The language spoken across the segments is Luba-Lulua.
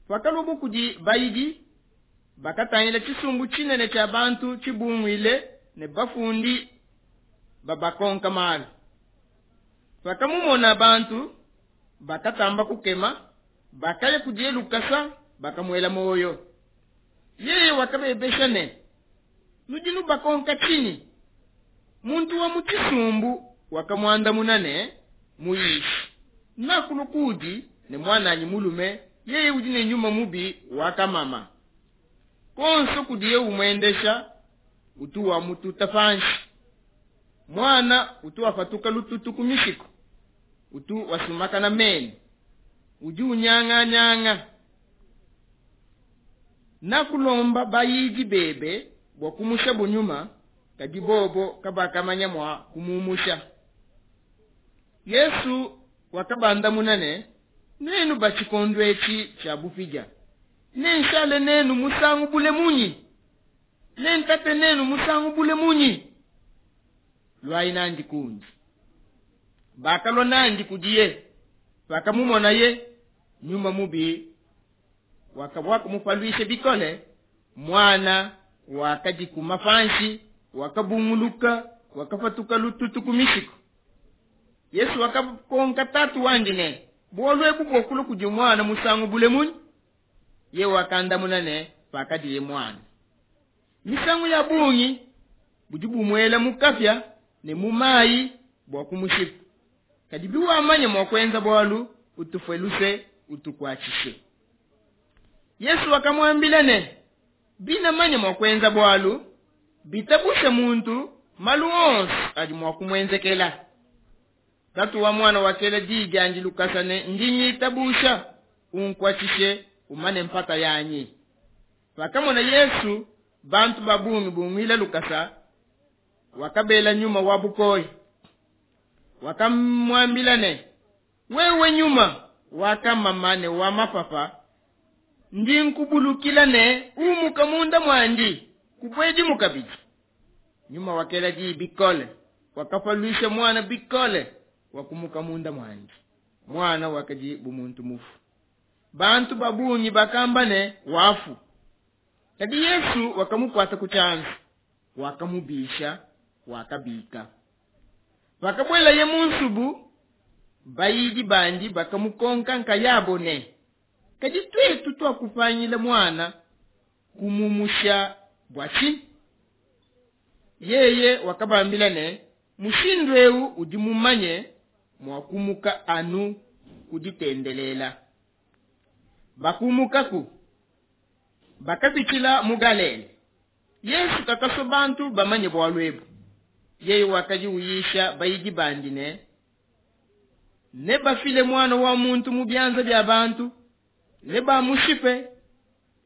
Pakaluabu kudi bayidi, bakatangila tshisumbu tshinene tshia bantu tshibunguile ne bafundi babakonka malu. Pakamumona bantu, bakatamba kukema, bakaya kudiye lukasa, bakamuela muoyo. Yeye wakabebesha ne, Nudi nubakonka tshinyi? Muntu wa mu tshisumbu wakamuandamuna ne, Muyishi, nakulua kuudi ne muananyi mulume, yeye udi ne nyuma mubi wa kamama. Konso kudiye umuendesha, utu wamututa panshi. Muana utu wapatuka lututu ku mishiku, utu wasumakana menu, udi unyanganyanga. Nakulomba bayidi bebe bua kumusha nyuma, kadi bobo kabakamanya mua kumumusha. Yesu wakabandamuna ne, Nuenu ba tshikondo etshi tshia bupidia, nenshale nenu musangu bule munyi? Nentate nenu musangu bule munyi? Luayi nandi kundi. Bakalua nandi kudiye. Pakamumonaye, nyuma mubi wakamupaluisha bikole. Muana wakadikuma panshi, wakabunguluka, wakapatuka lututu ku mishiku. Yesu wakakonka tatu wandi ne, bualu ebu buakulua kudi muana musangu bule munyi? Ye wakandamuna ne, pakadiye muana. Misangu ya bungi budi bumuela mu kapia ne mu mayi bua kumushipa. Kadi biwamanya mua kuenza bualu, utufue luse, utukuatshishe. Yesu wakamuambila ne, binamanya mua kuenza bualu, bitabusha muntu malu onso adi mua kumuenzekela. Tatu wa muana wakela diyi diandi lukasa ne, ndi ngitabusha, unkuatshishe, umane mpata yanyi. Pakamona Yesu bantu ba bungi bunguila lukasa, wakabela nyuma wa bukoyi. Wakamuambila ne, wewe nyuma wakamama ne wa mapapa, ndi nkubulukila ne umuka munda muandi, kubuedimu kabidi. Nyuma wakela diyi bikole, wakapaluisha muana bikole, wakumuka munda muandi. Muana wakadi bu muntu mufu. Bantu ba bungi bakamba ne, wafu. Kadi Yesu wakamukuata ku tshianza, wakamubisha, wakabika. Pakabuelaye mu nsubu, bayidi bandi bakamukonka nkayabo ne, kadi tuetu tuakupangila muana kumumusha bua tshinyi? Yeye wakabambila ne, mushindu eu udi mumanye mua kumuka anu kuditendelela. Bakumukaku, bakapitshila mu Galile. Yesu kakasua bantu bamanye bualu ebu. Yeye wakadi uyisha bayidi bandi ne, nebafile muana wa muntu mu bianza bia bantu, nebamushipe.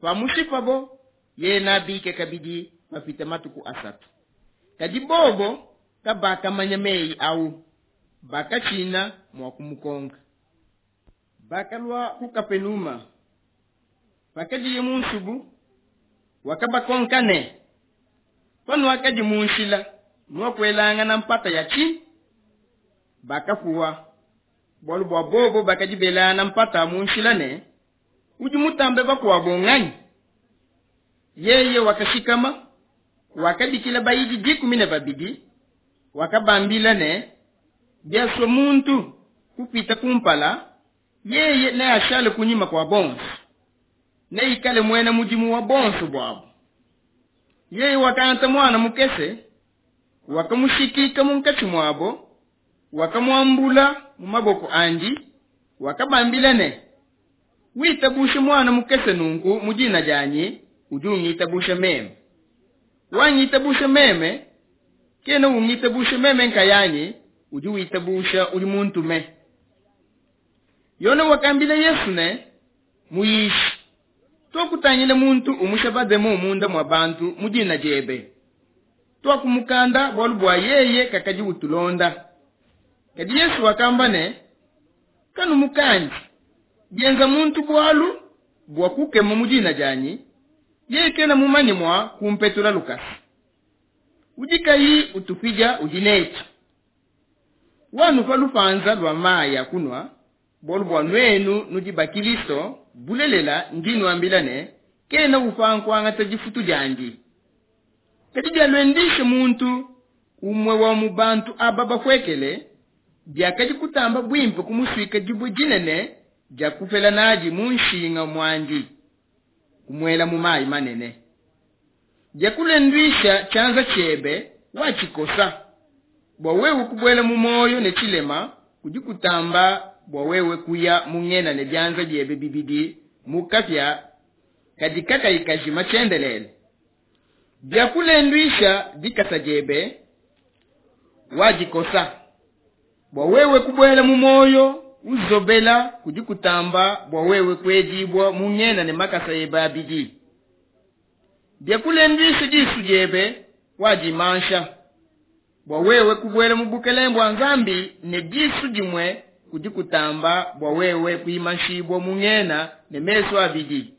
Pamushipabo, yeye nabike kabidi papita matuku asatu. Kadi bobo kabakamanya meyi au, bakatshina mua kumukonka. Bakalua ku Kapenuma. Pakadiye mu nsubu, wakabakonka ne, panuakadi mu nshila, nuakuelangana mpata ya tshinyi? Bakapuwa, bualu bua bobo bakadi belangana mpata mu nshila ne, udi mutambe bakuabo nganyi? Yeye wakashikama, wakabikila bayidi 12, wakabambila ne, biasua muntu kupita kumpala, yeye neashale kunyima kua bonso, neikale muena mudimu wa bonso buabo. Yeye wakangata muana mukese, wakamushikika munkatshi muabo, wakamuambula mu maboko andi, wakabambila ne, witabushe muana mukese nunku mu dina dianyi, udi ungitabusha meme. Wangitabusha meme, kena ungitabusha meme nkayanyi, udi witabusha udi muntume. Yone wakambila Yesu ne, muyishi, tuakutangila muntu umusha bademo munda mua bantu mu dina diebe. Tuakumukanda bualu bua yeye kakadi utulonda. Kadi Yesu wakamba ne, kanumukandi, bienza muntu bualu bua kukema mu dina dianyi, yeye kena mumanye mua kumpetula lukasa. Udi kayi utupidia udi netu. Wanupa lupanza lua mayi a kunua, bualu bua nuenu nudi ba Kilisto, Bulelela, ndi nuambila ne, Kena upanga kuangata difutu diandi. Kadi bialuendisha muntu umue wa mu bantu aba bapuekele, biakadi kutamba buimpe kumusuika dibue dinene dia kupela nadi mu nshinga muandi, kumuela mu mayi manene. Biakulenduisha tshianza tshiebe, watshikosa. Bua wewe kubuela mu muoyo ne tshilema kudi kutamba bua wewe kuya mu ngena ne bianza biebe bibidi mu kapia kadi kakayi kajima tshiendelele. Biakulenduisha dikasa diebe, wadikosa. Bua wewe kubuela mu muoyo uzobela kudi kutamba bua wewe kuedibua mu ngena ne makasa ebe abidi. Biakulenduisha disu diebe, wadimansha. Bua wewe kubuela mu bukelenge bua Nzambi ne disu dimue kudi kutamba bua wewe kuimanshibua mu ngena ne mesu abidi.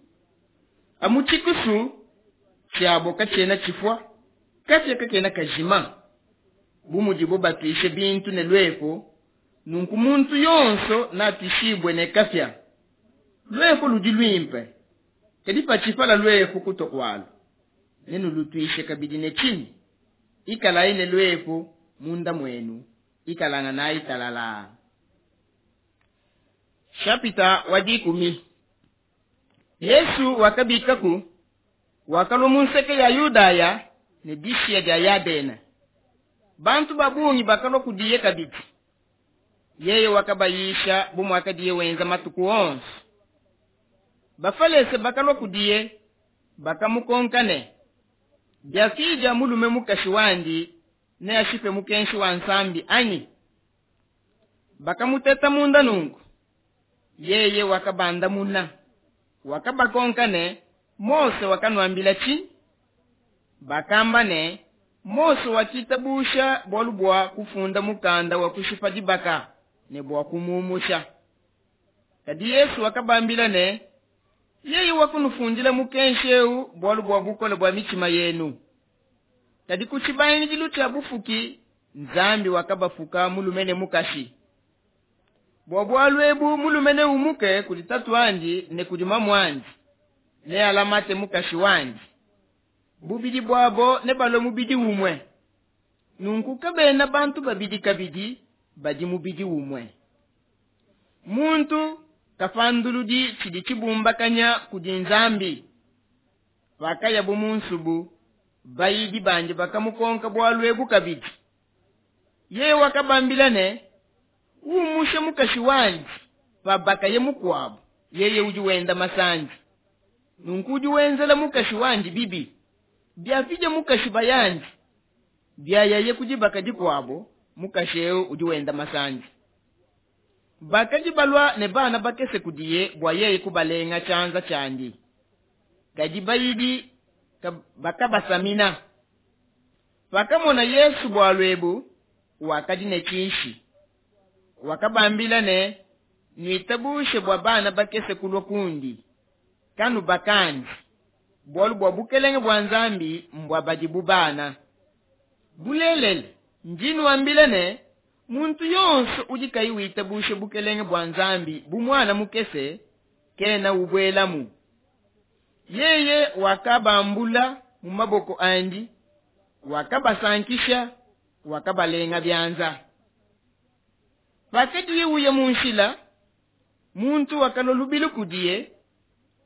Amu tshikusu tshiabo katshiena tshifua, kapia kakena kajima. Bu mudibo batuishe bintu ne luepu, nunku muntu yonso natuishibue ne kapia. Luepu ludi luimpe, kadi patshipala luepu kutua kualu, nenulutuishe kabidi ne tshinyi? Ikalayi ne luepu munda muenu, ikalanganayi talalaa. Shapita wa 10. Yesu wakabikaku, wakalua mu nseke ya Yudaya ne dishiya dia Yadena. Bantu ba bungi bakalua kudiye kabidi. Yeye wakabayisha bu muakadiye wenza matuku onso. Bafalese bakalua kudiye, bakamukonka ne, Biafidia mulume mukashi wandi, neashipe mukenshi wa Nzambi anyi? Bakamuteta munda nunku. Yeye wakabandamuna, wakabakonka ne, Mose wakanuambila tshinyi? Bakamba ne, Mose wakitabusha bualu bua kufunda mukanda wa kushipa dibaka ne bua kumumusha. Kadi Yesu wakabambila ne, Yeye wakunufundila mukenshi eu bualu bua bukole bua mitshima yenu. Kadi ku tshibangidilu tshia bufuki, Nzambi wakabafuka mulume ne mukashi. Bua bualu ebu mulume neumuke kudi tatuandi ne kudi mamuandi, nealamate mukashi wandi. Bubidi buabo nebalue mubidi umue. Nunku kabena bantu babidi kabidi, badi mubidi umue. Muntu kapanduludi tshidi tshibumbakanya kudi Nzambi. Pakayabo mu nsubu, bayidi bandi bakamukonka bualu ebu kabidi. Yeye wakabambila ne, Umushe mukashi wandi, pabakaye mukuabo, yeye udi wenda masandi. Nunku udi wenzela mukashi wandi bibi. Biapidia mukashi bayandi, biayaye ku dibaka dikuabo, mukashi eu udi wenda masandi. Bakadi balua ne bana bakese kudiye bua yeye kubalenga tshianza tshiandi. Kadi bayidi bakabasamina. Pakamona Yesu bualu ebu, wakadi ne tshinshi. Wakabambila ne, Nuitabushe bua bana bakese kulua kundi, kanubakandi, bualu bua bukelenge bua Nzambi mbua badi bu bana. Bulelela, ndi nuambila ne, muntu yonso udi kayi witabusha bukelenge bua Nzambi bu muana mukese, kena ubuelamu. Yeye wakabambula mu maboko andi, wakabasankisha, wakabalenga bianza. Pakadiye uya mu nshila, muntu wakalua lubilu kudiye,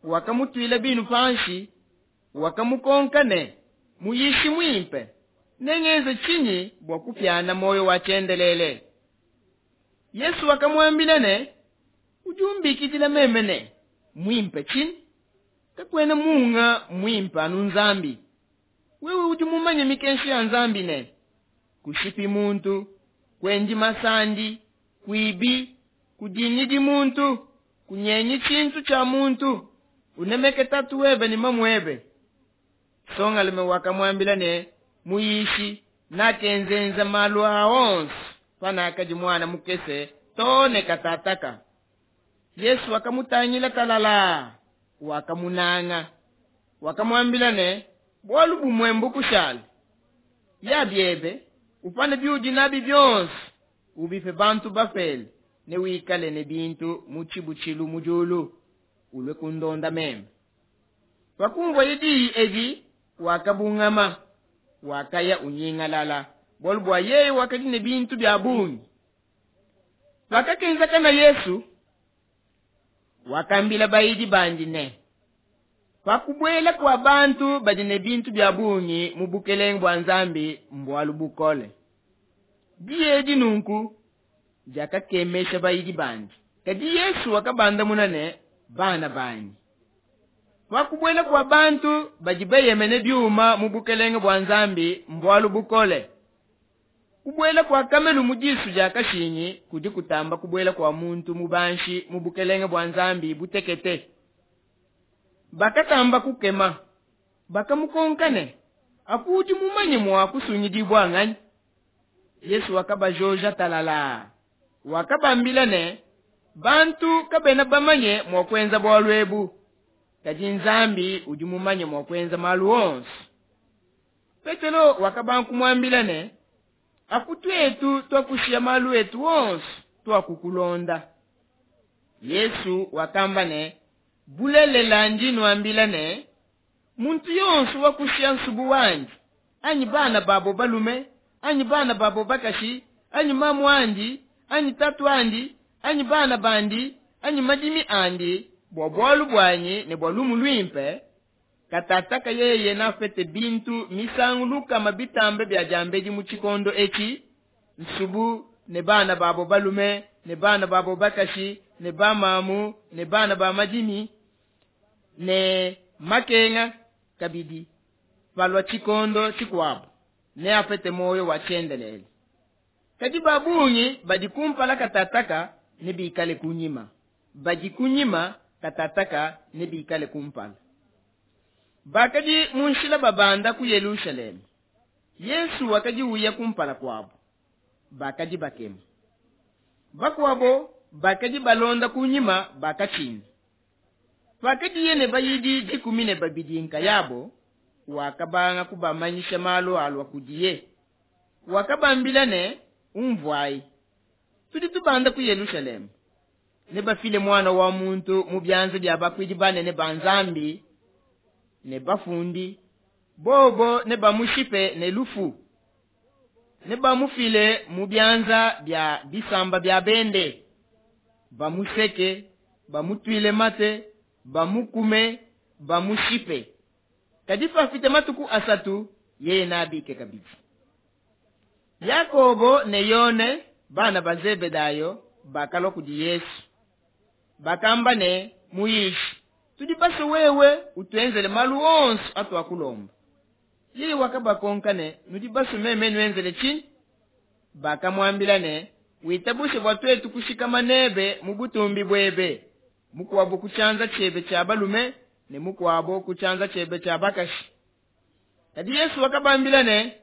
wakamutuila binu panshi, wakamukonka ne, Muyishi muimpe, nengenze tshinyi bua kupiana muoyo wa tshiendelele? Yesu wakamuambila ne, Udi umbikidila meme ne, muimpe tshinyi? Kakuena munga muimpe anu Nzambi. Wewe udi mumanye mikenshi ya Nzambi ne, kushipi muntu, kuendi masandi, kuibi, kudingidi muntu, kunyengi tshintu tshia muntu, unemeke tatu webe ne mamuebe. Songalume wakamuambila ne, Muyishi, nakenzenza malu aa onso panakadi muana mukese to ne katataka. Yesu wakamutangila talala, wakamunanga, wakamuambila ne, Bualu bumue mbukushale, ya biebe, upane biudi nabi bionso, ubipe bantu bapele, ne wikale ne bintu mu tshibutshilu mu diulu. ulue kundonda meme. Pakumvuaye diyi edi, wakabungama, wakaya unyingalala, bualu bua yeye wakadi ne bintu bia bungi. Pakakenzakana Yesu, wakambila bayidi bandi ne, pa kubuela kua bantu badi ne bintu bia bungi mu bukelenge bua Nzambi mbualu bukole. Diyi edi nunku diakakemesha bayidi bandi. Kadi Yesu wakabandamuna ne, bana banyi, pa kubuela kua bantu badi beyemene biuma mu bukelenge bua Nzambi mbualu bukole. Kubuela kua kamelu mu disu dia kashingi kudi kutamba kubuela kua muntu mubanshi mu bukelenge bua Nzambi butekete. Bakatamba kukema, bakamukonka ne, apu udi mumanye mua kusungidibua nganyi? Yesu wakabajoja talala, wakabambila ne, bantu kabena bamanye mua kuenza bualu ebu, kadi Nzambi udi mumanye mua kuenza malu onso. Petelo wakabanga kumuambila ne, apu tuetu tuakushiya malu etu onso, tuakukulonda. Yesu wakamba ne, bulelela ndi nuambila ne, muntu yonso wakushiya nsubu wandi, anyi bana babo balume, anyi bana babo bakashi, anyi mamu andi, anyi tatu andi, anyi bana bandi, anyi madimi andi, bua bualu buanyi ne bua lumu luimpe, katataka yeye nafete bintu misangu lukama bitambe bia diambedi mu tshikondo etshi, nsubu ne bana babo balume, ne bana babo bakashi, ne bamamu, ne bana ba madimi, ne makenga kabidi, palua tshikondo tshikuabo, neapete muoyo wa tshiendelele. Kadi ba bungi badi kumpala katataka nebikale kunyima, badi kunyima katataka nebikale kumpala. Bakadi mu nshila babanda ku Yelushalema, Yesu wakadi uya kumpala kuabo, bakadi bakema. Bakuabo bakadi balonda kunyima bakatshina. Pakadiye ne bayidi 12 nkayabo, wakabanga kubamanyisha malu alua kudiye. Wakabambila ne, umvuayi, tudi tubanda ku Yelushalema, nebafile muana wa muntu mu bianza bia bakuidi banene ba Nzambi ne bafundi, bobo nebamushipe ne lufu, nebamufile mu bianza bia bisamba bia bende, bamuseke, bamutuile mate, bamukume, bamushipe. Kadi pafite matuku asatu, yeye nabike kabidi. Yakobo ne Yone, bana ba Zebedayo, bakalua kudi Yesu. Bakamba ne, Muyishi, tudi basue wewe utuenzele malu onso atuakulomba. Yeye wakabakonka ne, nudi basue meme nuenzele tshinyi? Bakamuambila ne, witabushe bua tuetu kushikama nebe mu butumbi buebe, mukuabo ku tshianza tshiebe tshia balume ne mukuabo ku tshianza tshiebe tshia bakashi. Kadi Yesu wakabambila ne,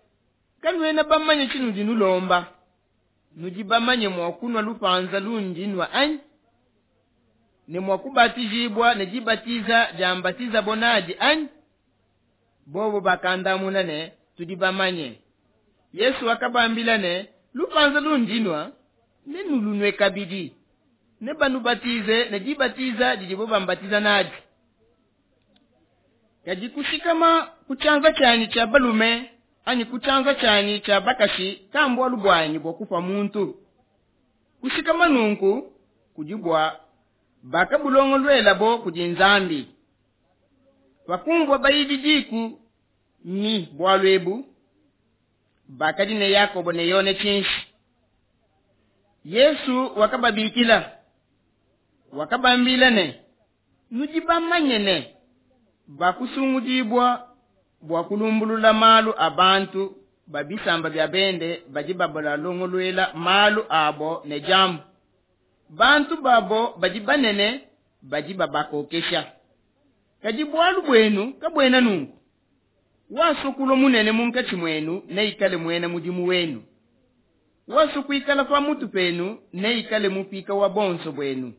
kanuena bamanye tshinudi nulomba. Nudi bamanye mua kunua lupanza lundi nua anyi? Ne mua kubatijibua ne dibatiza dia mbatizabo nadi anyi? Bobo bakandamuna ne, tudi bamanye. Yesu wakabambila ne, lupanza lundi nua nenulunue kabidi, nebanubatize ne dibatiza didibo bambatiza nadi. Kadi kushikama ku tshianza tshianyi tshia balume anyi ku tshianza tshianyi tshia bakashi kambualu buanyi bua kupa muntu. Kushikama nunku kudi bua bakabulongoluelabo kudi Nzambi. Pakumvua bayidi diku ni bualu ebu, bakadi ne Yakobo ne Yone tshinshi. Yesu wakababikila, wakabambila ne, nudi bamanye ne, bakusungudibua bua kulumbulula malu a bantu ba bisamba bia bende badi babalongoluela malu abo ne diambu. Bantu babo badi banene badi babakokesha. Kadi bualu buenu kabuena nunku. Wasua kulua munene munkatshi muenu neikale muena mudimu wenu. Wasua kuikala pa mutu penu neikale mupika wa bonso buenu.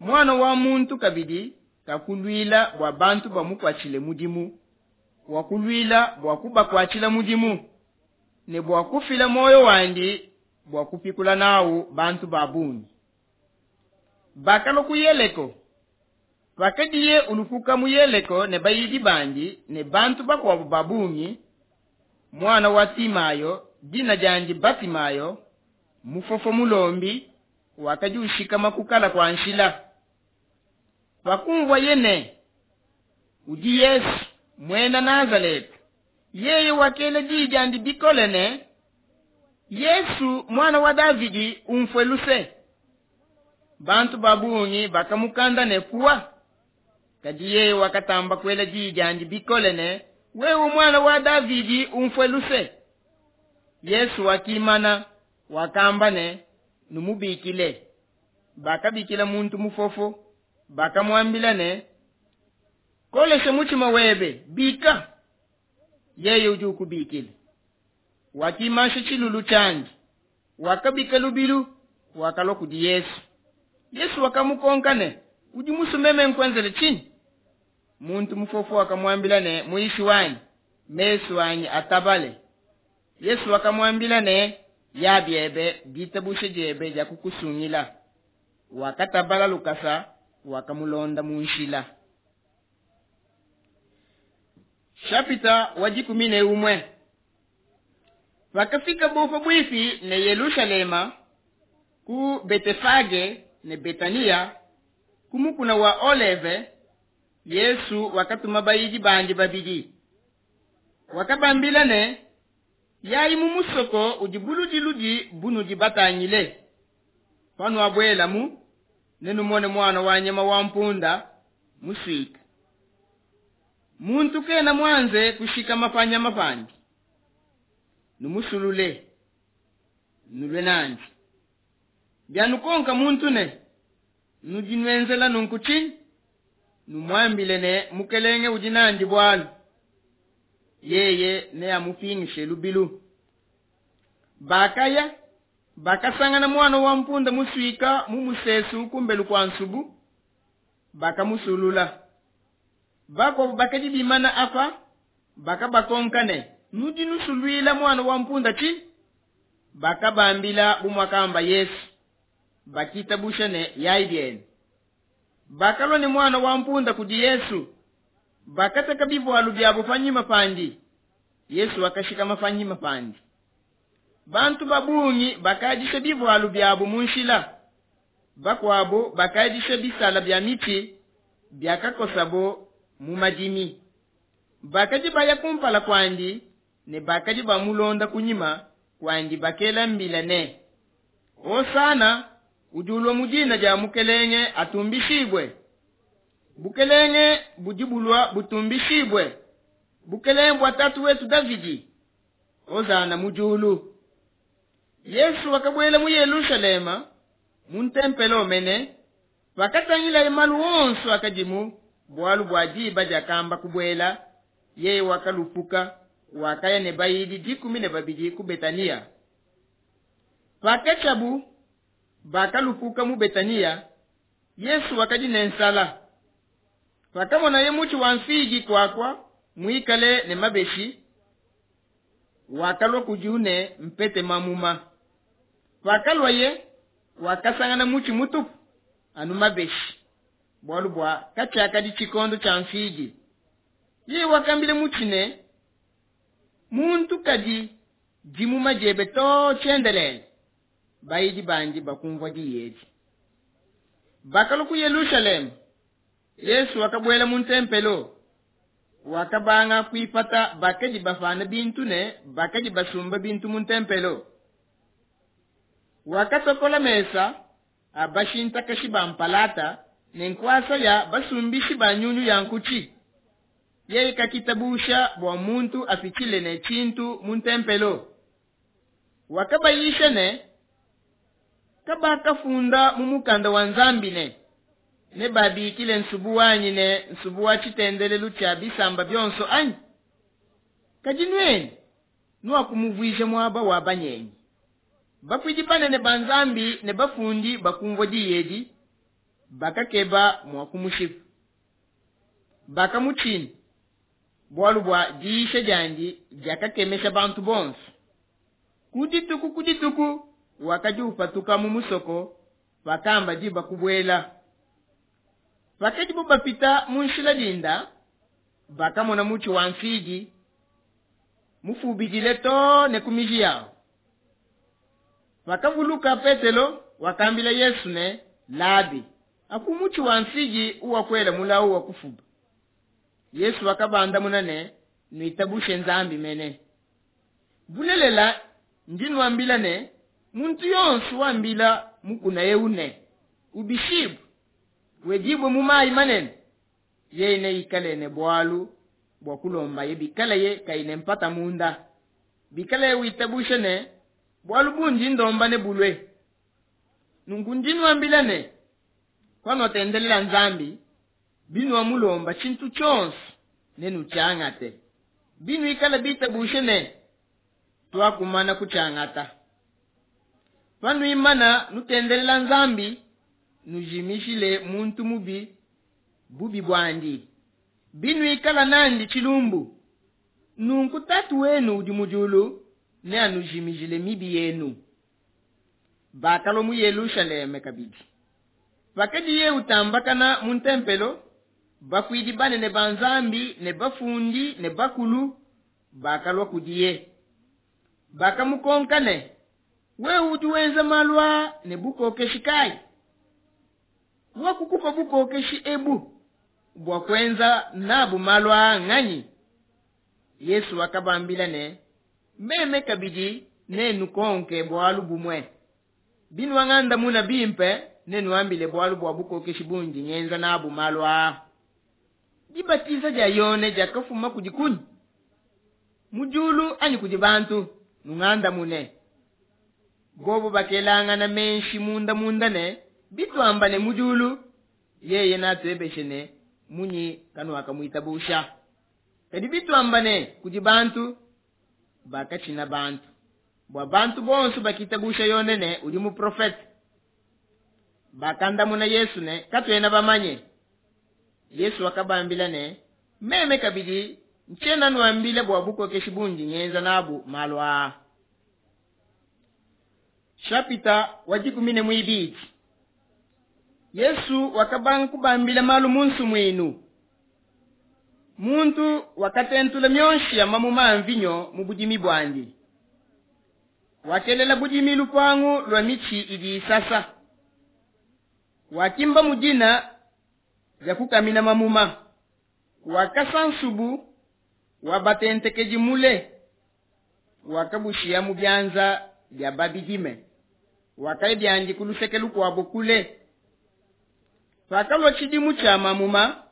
Muana wa muntu kabidi kakuluila bua bantu bamukuatshile mudimu, wakuluila bua kubakuatshila mudimu ne bua kufila muoyo wandi bua kupikula nawu bantu ba bungi. Bakalua ku Yeleko. Pakadiye ulupuka mu Yeleko ne bayidi bandi ne bantu bakuabo ba bungi, muana wa Timayo, dina diandi Batimayo, mufofo mulombi, wakadi ushikama kukala kua nshila. Pakumvuaye ne udi Yesu muena Nazaleta, yeye wakela diyi diandi bikole ne, Yesu muana wa Davidi, umfue luse. Bantu ba bungi bakamukanda ne puwa, kadi yeye wakatamba kuela diyi diandi bikole ne, wewe muana wa Davidi, umfue luse. Yesu wakimana, wakamba ne, numubikile. Bakabikila muntu mufofo, bakamuambila ne, kolesha mutshima webe, bika, yeye udi ukubikila. Wakimansha tshilulu tshiandi, wakabika lubilu, wakalua kudi Yesu. Yesu wakamukonka ne, udi musue meme nkuenzele tshinyi? Muntu mufofo wakamuambila ne, muyishi wanyi, mesu anyi atabale. Yesu wakamuambila ne, ya biebe, ditabusha diebe diakukusungila. Wakatabala lukasa, wakamulonda mu nshila. Chapitre wa 11. Pakafika bo pabuipi ne Yelushalema, ku Betefage ne Betania, ku mukuna wa Oleve, Yesu wakatuma bayidi bandi babidi. Wakabambila ne, yayi mu musoko udi buludiludi bunudi batangile. Panuabuelamu, nenumone muana wa nyama wa mpunda musuika. Muntu kena muanze kushikama pa nyama pandi. Numusulule, nulue nandi. Bianukonka muntu ne, nudi nuenzela nunku tshinyi? Numuambile ne, Mukelenge udi nandi bualu, yeye neamupingishe lubilu. Bakaya, bakasangana muana wa mpunda musuika mu musesu kumbelu kua nsubu, bakamusulula. Bakuabo bakadi bimana apa, bakabakonka ne, nudi nusuluila muana wa mpunda tshinyi? Bakabambila bu muakamba Yesu. Bakitabusha ne, yayi bienu. Bakalua ne muana wa mpunda kudi Yesu, bakateka bivualu biabo panyima pandi. Yesu wakashikama panyima pandi. Bantu ba bungi bakadisha bivualu biabo mu nshila, bakuabo bakadisha bisala bia mitshi biakakosabo mu madimi. Bakadi baya kumpala kuandi ne bakadi bamulonda kunyima kuandi, bakela mbila ne, Hosana, udi ulua mu dina dia Mukelenge atumbishibue. Bukelenge budi bulua butumbishibue, bukelenge bua tatu wetu Davidi, Hosana mu diulu. Yesu wakabuela mu Yelushalema mu ntempelo mene, pakatangilaye malu onso akadimu, bualu bua diba diakamba kubuela, yeye wakalupuka, wakaya ne bayidi 12 ku Betania. Pakatshiabu bakalupuka mu Betania, Yesu wakadi ne nsala. Pakamonaye mutshi wa mfigi kuakua muikale ne mabeshi, wakalua kudiwu ne mpete mamuma. Pakaluaye, wakasangana mutshi mutupu anu mabeshi, bualu bua katshiakadi tshikondo tshia mfigi. Yeye wakambila mutshi ne, muntu kadi dimuma diebe to tshiendelele. Bayidi bandi bakumvua diyi edi. Bakalua ku Yelushalema. Yesu wakabuela mu ntempelo, wakabanga kuipata bakadi bapana bintu ne bakadi basumba bintu mu ntempelo. Wakatokola mesa a bashintakashi ba mpalata ne nkuasa ya basumbishi ba nyunyu ya nkutshi. Yeye kakitabusha bua muntu apitshile ne tshintu mu ntempelo. Wakabayisha ne, kabakafunda mu mukanda wa Nzambi ne, nebabikile nsubu wanyi ne nsubu wa tshitendelelu tshia bisamba bionso anyi? Kadi nuenu nuakumuvuija muaba wa banyenyi. Bakuidi banene ba Nzambi ne bafundi bakumvua diyi edi, bakakeba mua kumushipa. Bakamutshina, bualu bua diyisha diandi diakakemesha bantu bonso. Ku dituku ku dituku wakadi upatuka mu musoko pakamba diba kubuela. Pakadibo bapita mu nshila dinda, bakamona mutshi wa mfigi mufubidile too ne ku miji yawu. Pakavuluka Petelo, wakambila Yesu ne, Labi, aku mutshi wa mfigi uwakuela mulawu wa kufuba. Yesu wakabandamuna ne, Nuitabushe Nzambi mene. Bulelela ndi nuambila ne, muntu yonso wambila mukuna eu ne, Ubishibue, wedibue mu mayi manene, yeye neikale ne bualu bua kulombaye bikalaye kayi ne mpata munda, bikalaye witabusha ne, bualu bundi ndomba nebulue. Nunku ndi nuambila ne, panuatendelela Nzambi, binuamulomba tshintu tshionso nenutshiangate, binuikala bitabushe ne, tuakumana kutshiangata. Panuimana nutendelela Nzambi, nujimishile muntu mubi bubi buandi, binuikala nandi tshilumbu, nunku Tatu wenu udi mu diulu neanujimijile mibi yenu. Bakalua mu Yelushalema kabidi. Pakadiye utambakana mu ntempelo, bakuidi banene ba Nzambi ne bafundi ne bakulu bakalua kudiye. Bakamukonka ne, wewe udi wenza malu aa ne bukokeshi kayi? Wakukupa bukokeshi ebu bua kuenza nabu malu aa nganyi? Yesu wakabambila ne, meme kabidi nenukonke bualu bumue. Binuangandamuna bimpe, nenuambile bualu bua bukokeshi bundi ngenza nabu malu aa. Dibatiza dia Yone diakafuma kudi kunyi? Mu diulu anyi kudi bantu? Nungandamune. Bobo bakelangana menshi munda munda ne, bituamba ne mu diulu, yeye natuebeshe ne, munyi kanuakamuitabusha? Kadi bituamba ne kudi bantu, bakatshina bantu, bua bantu bonso bakitabusha Yone ne udi muprofete. Bakandamuna Yesu ne, katuena bamanye. Yesu wakabambila ne, meme kabidi ntshiena nuambila bua bukokeshi bundi ngenza nabu malu aa. Chapita wa 12. Yesu wakabanga kubambila malu mu nsumuinu. Muntu wakatentula mionshi ya mamuma a mvinyo mu budimi buandi. Wakelela budimi lupangu lua mitshi idi isasa. Wakimba mu dina dia kukamina mamuma. Wakasa nsubu wa batentekedi mule. Wakabushiya mu bianza bia babidime. Wakaya biandi ku luseke lukuabo kule. Pakalua tshidimu tshia mamuma,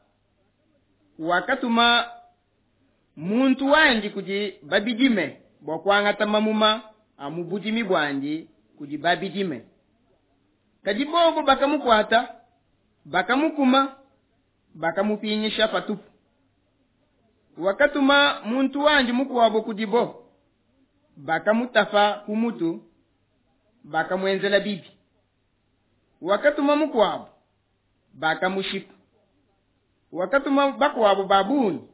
wakatuma muntu wandi kudi babidime bua kuangata mamuma a mu budimi buandi kudi babidime. Kadi bobo bakamukuata, bakamukuma, bakamupingisha patupu. Wakatuma muntu wandi mukuabo kudibo, bakamutapa ku mutu, bakamuenzela bibi. Wakatuma mukuabo, bakamushipa. Wakatuma bakuabo ba bungi,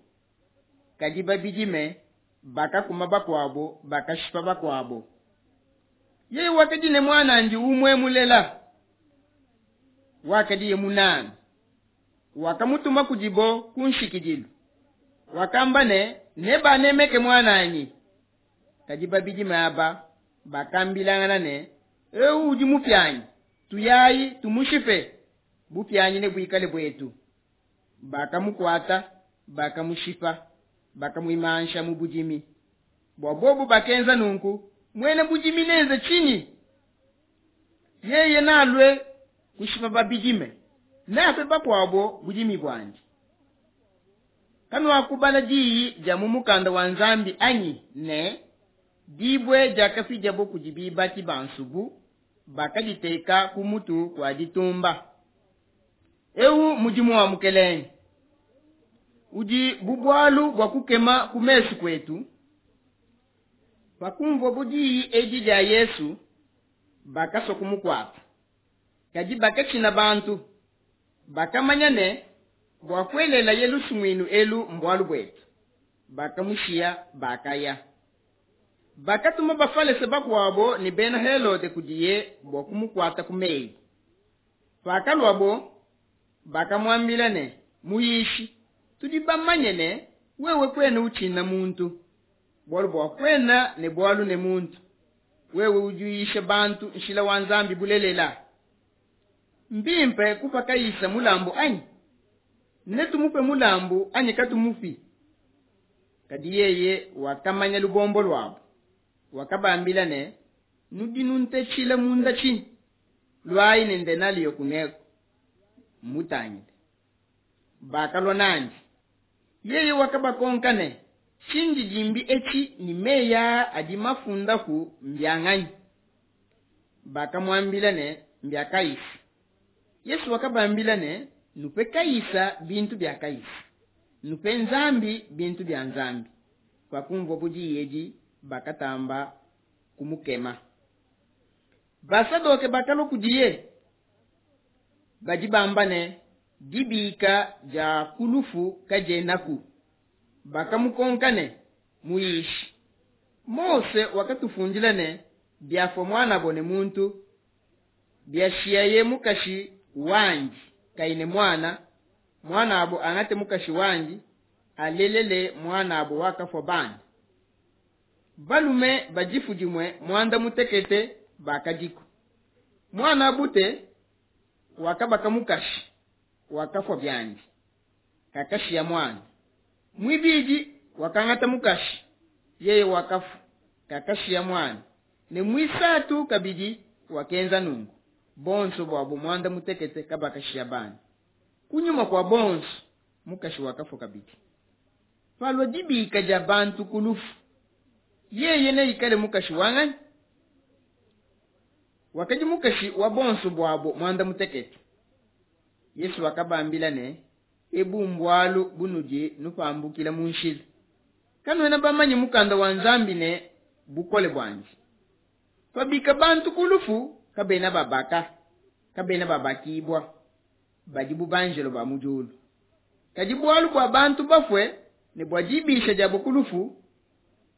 kadi babidime bakakuma bakuabo, bakashipa bakuabo. Yeye wakadi ne muanandi umue mulela, wakadiye munange. Wakamutuma kudibo ku nshikidilu. Wakamba ne, nebanemeke muananyi. Kadi babidime aba bakambilangana ne, eu udi mupianyi, tuyayi tumushipe, bupianyi nebuikale buetu. Bakamukuata, bakamushipa, bakamuimansha mu budimi. Bua bobo bakenza nunku, muena budimi nenze tshinyi? Yeye nalue kushipa babidime, neape bakuabo budimi buandi. Kanuakubala diyi dia mu mukanda wa Nzambi anyi ne, dibue diakapidiabo kudi bibaki ba nsubu, bakaditeka ku mutu kua ditumba. Eu mudimu wa Mukelenge udi bu bualu bua kukema ku mesu kuetu. Pakumvuabo diyi edi dia Yesu, bakasua kumukuata, kadi bakatshina bantu, bakamanya ne, bua kuelelaye lusumuinu elu mbualu buetu. Bakamushiya, bakaya. Bakatuma bafalese bakuabo ne bena Helode kudiye bua kumukuata ku meyi. Pakaluabo, Bakamuambila ne, Muyishi, tudi bamanye ne, Wewe kuena utshina muntu, bualu bua kuena ne bualu ne muntu, wewe udi uyisha bantu nshila wa Nzambi bulelela. Mbimpe kupa Kaisa mulambu anyi? Netumupe mulambu anyi katumupi? Kadi yeye wakamanya lubombo luabo, wakabambila ne, Nudi nuntetshila munda tshinyi? Luayi ne ndenaliyo kuneko, mutangile. Bakalua nandi. Yeye wakabakonka ne, Tshindidimbi etshi ne meyi aa adi mafundapu mbia nganyi? Bakamuambila ne, Mbia Kaisa. Yesu wakabambila ne, Nupe Kaisa bintu bia Kaisa, nupe Nzambi bintu bia Nzambi. Pakumvuabo diyi edi, bakatamba kumukema. Basadoke bakalua kudiye, badi bamba ne, Dibika dia ku lufu kadienaku. Bakamukonka ne, Muyishi, Mose wakatufundila ne, Biafua muanabo ne muntu, biashiaye mukashi wandi kayi ne muana, muanabo angate mukashi wandi, alelele muanabo wakafua bana. Balume ba difu dimue muanda mutekete bakadiku. Muan'a bute wakabaka mukashi, wakafua biandi, kakashiya muana. Muibidi wakangata mukashi, yeye wakafua, kakashiya muana. Ne muisatu kabidi wakenza nunku. Bonso buabo muanda mutekete kabakashiya bana. Kunyima kua bonso mukashi wakafua kabidi. Palua dibika dia bantu ku lufu, yeye neikale mukashi wa nganyi? Wakadi mukashi wa bonso buabo muanda mutekete. Yesu wakabambila ne, Ebu mbualu bunudi nupambukila mu nshila. Kanuena bamanye mukanda wa Nzambi ne bukole buandi. Pabika bantu ku lufu, kabena babaka, kabena babakibua, badi bu banjelo ba mu diulu. Kadi bualu bua bantu bafue ne bua dibisha diabo ku lufu,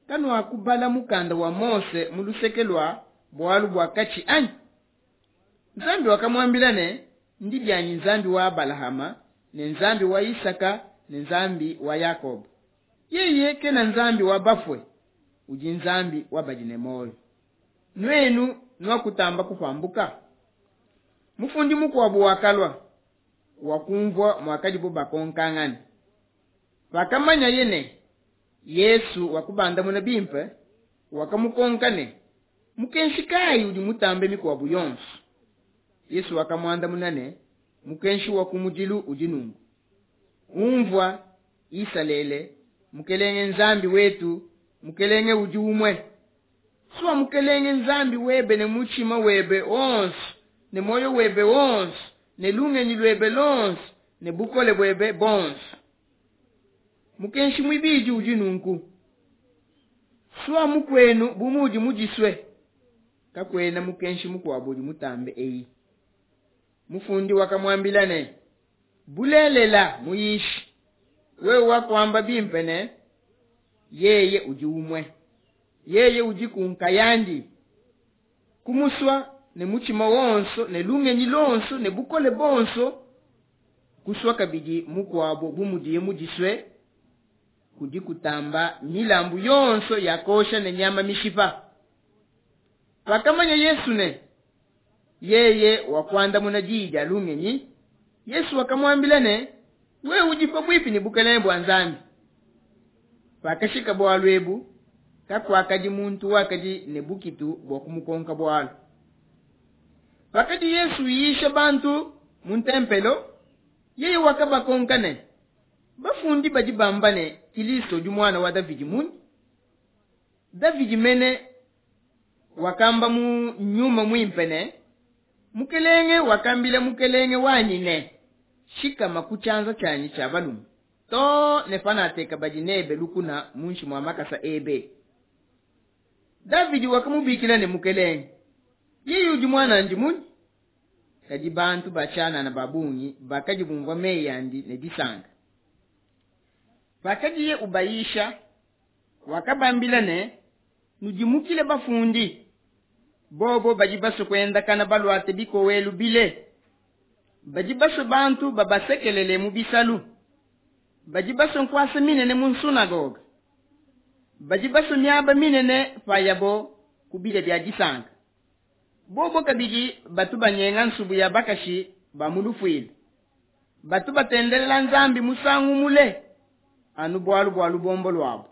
kanuakubala mukanda wa Mose mu luseke lua bualu bua katshi anyi? Nzambi wakamuambila ne, Ndi bianyi Nzambi wa Abalahama ne Nzambi wa Isaka ne Nzambi wa Yakoba. Yeye kena Nzambi wa bafue, udi Nzambi wa badi ne muoyo. Nuenu nuakutamba kupambuka. Mufundi mukuabo wakalua, wakunvua muakadibo bakonkangana. Pakamanyaye ne, Yesu wakubandamuna bimpe, wakamukonka ne, Mukenshi kayi udi mutambe mikuabo yonso? Yesu wakamuandamuna ne, Mukenshi wa kumudilu udi nunku: Unvua, Isalele, Mukelenge Nzambi wetu, Mukelenge udi umue. Sua Mukelenge Nzambi webe ne mutshima webe wonso ne muoyo webe wonso ne lungenyi luebe luonso ne bukole buebe buonso. Mukenshi muibidi udi nunku: Sua mukuenu bu muudi mudisue. Kakuena mukenshi mukuabo udi mutambe eyi. Mufundi wakamuambila ne, Bulelela, Muyishi, wewe wakuamba bimpe ne, Yeye udi umue. Yeye udiku nkayandi. Kumusua ne mutshima wonso ne lungenyi luonso ne bukole buonso, kusua kabidi mukuabo bu mudiye mudisue, kudi kutamba milambu yonso ya kuosha ne nyama mishipa. Pakamanya Yesu ne, Yeye wakuandamuna diyi dia lungenyi, Yesu wakamuambila ne, Wewe udi pabuipi ne bukelenge bua Nzambi. Pakashika bualu ebu, kakuakadi muntu wakadi ne bukitu bua kumukonka bualu. Pakadi Yesu uyisha bantu mu ntempelo, yeye wakabakonka ne, Bafundi badi bamba ne, Kilisto udi muana wa Davidi munyi? Davidi mene wakamba mu Nyuma Muimpe ne, Mukelenge wakambila Mukelenge wanyi ne, Shikama ku tshianza tshianyi tshia balume, too ne panateka badi nebe lukuna muinshi mua makasa ebe. Davidi wakamubikila ne Mukelenge, yeye udi muanandi munyi? Kadi bantu ba tshianana ba bungi bakadi bumvua meyi andi ne disanka. Pakadiye ubayisha, wakabambila ne, Nudimukile bafundi, bobo badi basue kuendakana baluate bikowelu bile. Badi basue bantu babasekelele mu bisalu, badi basue nkuasa minene mu nsunagoga, badi basue miaba minene payabo ku bidia bia disanka. Bobo kabidi batu banyenga nsubu ya bakashi ba mu lufuila, batu batendelela Nzambi musangu mule anu bualu bua lubombo luabo.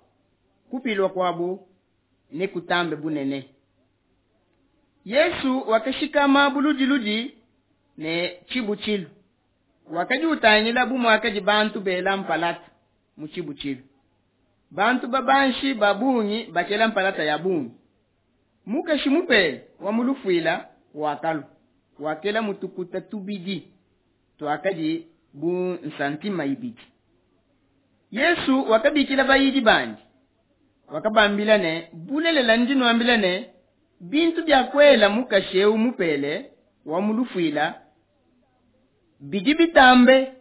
Kupilua kuabo nekutambe bunene. Yesu wakashikama buludiludi ne tshibutshilu, wakadi utangila bu muakadi bantu bela mpalata mu tshibutshilu. Bantu babanshi ba bungi bakela mpalata ya bungi. Mukashi mupele wa mu lufuila wakalua, wakela mutukuta tubidi tuakadi bu nsantima ibidi. Yesu wakabikila bayidi bandi, wakabambila ne, Bulelela ndi nuambila ne, bintu biakuela mukashi eu mupele wa mu lufuila bidi bitambe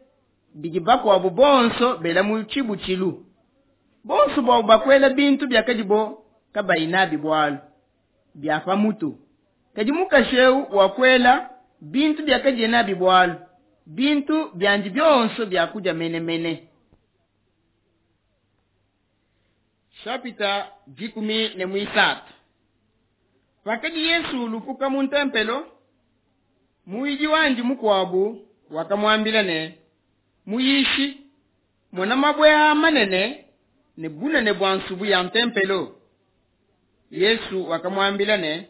bidi bakuabo bonso bela mu tshibutshilu. Bonso buabo bakuela bintu biakadibo kabayi nabi bualu bia pa mutu, kadi mukashi eu wakuela bintu biakadiye nabi bualu, bintu biandi bionso bia kudia menemene. Chapitre 13. Pakadi Yesu ulupuka mu ntempelo, muyidi wandi mukuabu wakamuambila ne, Muyishi, mona mabue aa manene ne bunene bua nsubu ya ntempelo. Yesu wakamuambila ne,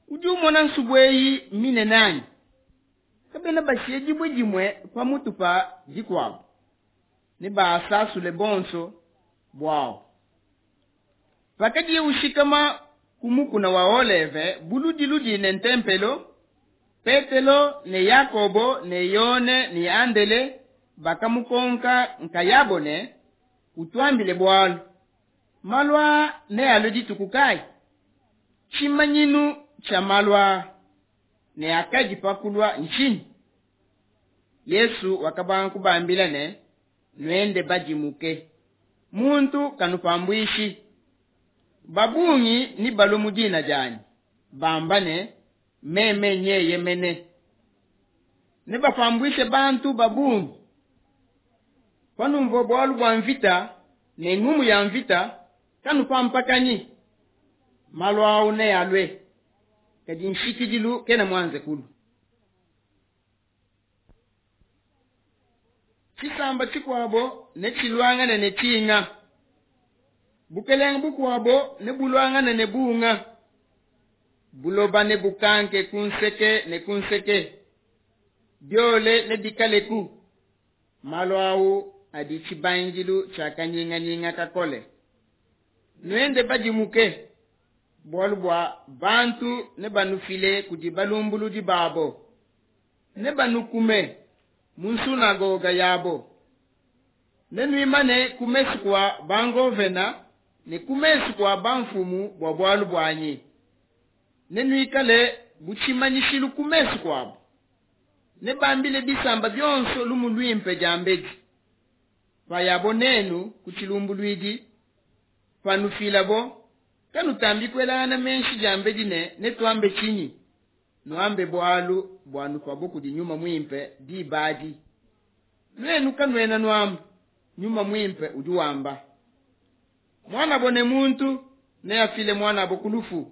Udi umona nsubu eyi minene anyi? Kabena bashiye dibue dimue pa mutu pa dikuabo, nebasasule bonso buabo. Pakadiye ushikama ku mukuna wa Oleve buludiludi ne ntempelo, Petelo ne Yakobo ne Yone ne Andele bakamukonka nkayabo ne, Utuambile bualu, malu aa nealue dituku kai? Tshimanyinu tshia malu aa ne akadi pa kulua ntshinyi? Yesu wakabanga kubambila ne, Nuende badimuke, muntu kanupambuishi. Ba bungi nebalue mu dina dianyi, bamba ne, Meme nyeye mene. Nebapambuishe bantu ba bungi. Panumvua bualu bua mvita ne ngumu ya mvita, kanupampakanyi. Malu au nealue, kadi nshikidilu kena muanze kulua. Tshisamba tshikuabo netshiluangane ne tshinga, bukelenge bukuabo nebuluangane ne bunga, buloba nebukanke ku nseke ne ku nseke, biole nebikaleku. Malu au adi tshibangidilu tshia kanyinganyinga kakole. Nuende badimuke, bualu bua bantu nebanufile kudi balumbuludi babo, nebanukume mu nsunagoga yabo. Nenuimane ku mesu kua bangovena ne ku mesu kua banfumu bua bualu buanyi, nenuikale bu tshimanyishilu ku mesu kuabo. Nebambile bisamba bionso lumu luimpe diambedi. Payabo nenu ku tshilumbuluidi, panufilabo, kanutambi kuelangana meshi diambedi ne, Netuambe tshinyi? Nuambe bualu buanupabo kudi Nyuma Muimpe diba adi. Nuenu kanuena nuamba, Nyuma Muimpe udi wamba. Muanabo ne muntu neafile muanabo ku lufu,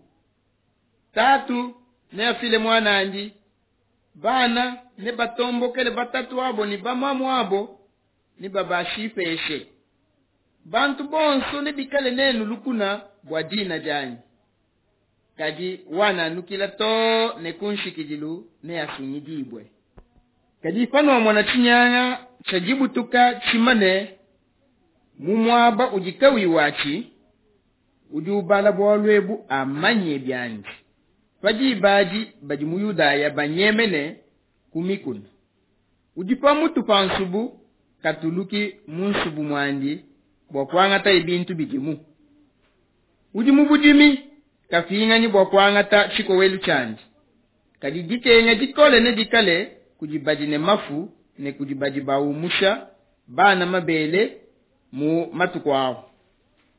tatu neafile muan'andi, bana nebatombokele batatu'abo ne bamamu'abo, nebabashipeshe. Bantu bonso nebikale nenu lukuna bua dina dianyi, kadi wananukila to ne kunshikidilu neasungidibue. Kadi panuamona tshinyanga tshia dibutuka tshimane mu muaba udi kauyi watshi, udi ubala bualu ebu amanye biandi, pa diba adi badi mu Yudaya banyemene ku mikuna. Udi pa mutu pa nsubu katuluki mu nsubu muandi bua kuangataye bintu bidimu. Udi mu budimi kapinganyi bua kuangata tshikowelu tshiandi. Kadi dikenga dikole nedikale kudi badi ne mafu ne kudi badi baumusha bana mabele mu matuku au.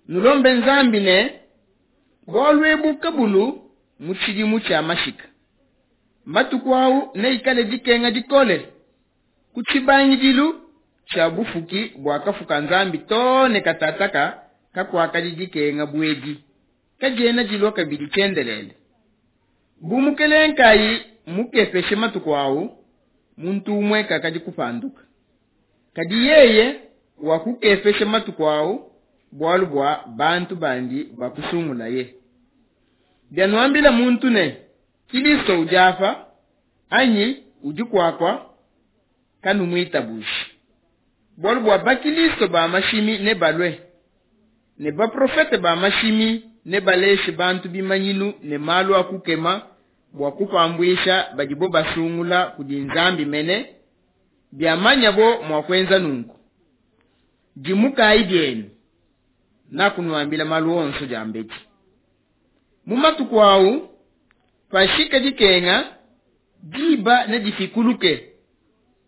Nulombe Nzambi ne, bualu ebu kabulu mu tshidimu tshia mashika. Matuku au neikale dikenga dikole. Ku tshibangidilu tshia bufuki buakafuka Nzambi too ne katataka kakuakadi dikenga bu edi, kadiena dilua kabidi tshiendelele. Bu Mukelenge kayi mukepeshe matuku awu, muntu umue kakadi kupanduka. Kadi yeye wakukepesha matuku awu bualu bua bantu bandi bakusungulaye. Bianuambila muntu ne, Kilisto udi apa, anyi udi kuakua, kanumuitabuji. Bualu bua bakilisto ba mashimi nebalue, ne baprofete ba mashimi nebaleshe bantu bimanyinu ne malu a kukema bua kupambuisha badibo basungula kudi Nzambi mene, biamanyabo mua kuenza nunku. Dimukayi bienu, nakunuambila malu onso diambedi. Mu matuku awu, pashika dikenga, diba nedifikuluke,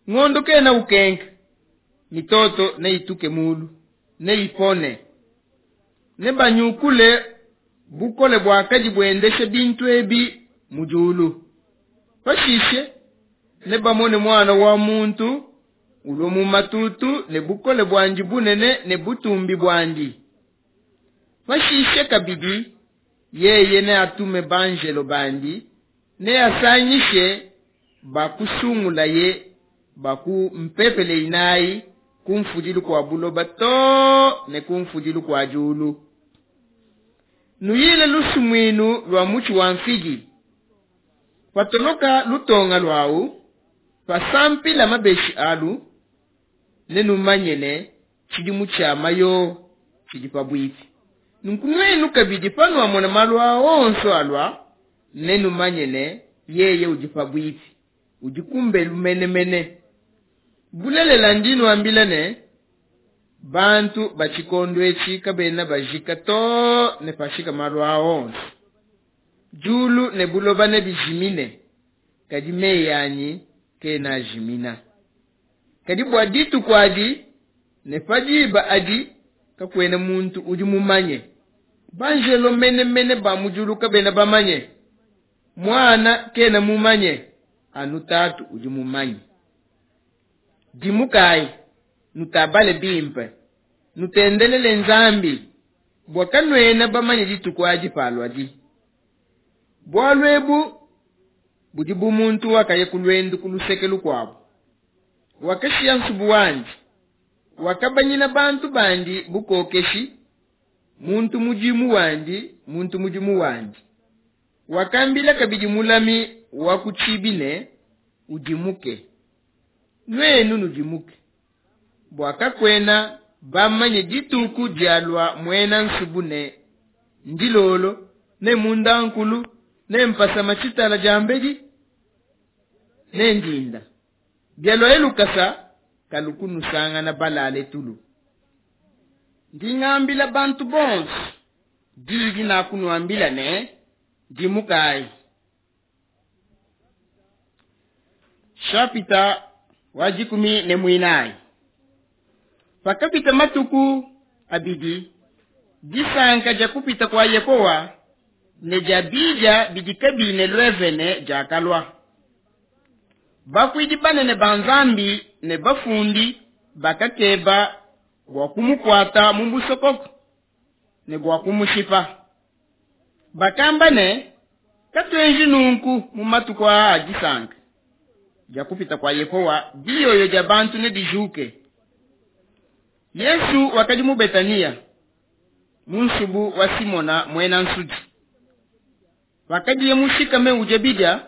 ngondo kena ukenka, mitoto neituke mulu, neipone. Nebanyukule bukole buakadi buendesha bintu ebi mu diulu. Pashishe nebamone Muana wa muntu ulua mu matutu ne bukole buandi bunene ne butumbi buandi. Pashishe kabidi yeye neatume banjelo bandi, neasangishe bakusungulaye ba ku mpepele inayi ku mfudilu kua buloba too ne ku mfudilu kua diulu. Nuyile lusumuinu lua mutshi wa mfigi. Patoloka lutonga luawu, pasampila mabeshi alu, nenumanye ne, tshidimu tshia mayowa tshidi pabuipi. Nunku nuenu kabidi panuamona malu aa onso alua, nenumanye ne, yeye udi pabuipi, udi kumbelu menemene. Bulelela ndi nuambila ne, bantu ba tshikondo etshi kabena bajika too ne pashika malu aa onso. Diulu ne buloba nebijimine, kadi meyi anyi kena ajimina. Kadi bua dituku adi ne pa diba adi kakuena muntu udi mumanye. Banjelo menemene ba mu diulu kabena bamanye, Muana kena mumanye, anu Tatu udi mumanye. Dimukayi, nutabale bimpe, nutendelele Nzambi, bua kanuena bamanye dituku adi paluadi. Bualu ebu budi bu muntu wakaya ku luendu ku luseke lukuabo, wakashiya nsubu wandi, wakabanyina bantu bandi bukokeshi, muntu mudimu wandi, muntu mudimu wandi. Wakambila kabidi mulami wa ku tshibi ne, Udimuke. Nuenu nudimuke, bua kakuena bamanye dituku dialua muena nsubu ne ndilolo, ne mundankulu, ne mpasama tshitala diambedi, ne ndinda. Bialuaye lukasa, kalu kunusangana balale tulu. Ndi ngambila bantu bonso diyi dinakunuambila ne, Dimukayi. Shapita wa dikumi ne muinayi. Pakapita matuku abidi, disanka dia kupita kua Yehowa ne dia bidia bidi kabiyi ne luevene diakalua. Bakuidi banene ba Nzambi ne bafundi bakakeba bua kumukuata mu musokoko ne bua kumushipa. Bakamba ne, Katuenji nunku mu matuku aa a disanka dia kupita kua Yehowa, diyoyo dia bantu nedijuke. Yesu wakadi mu Betaniya, mu nsubu wa Simona muena nsudi. Pakadiye mushikame udia bidia,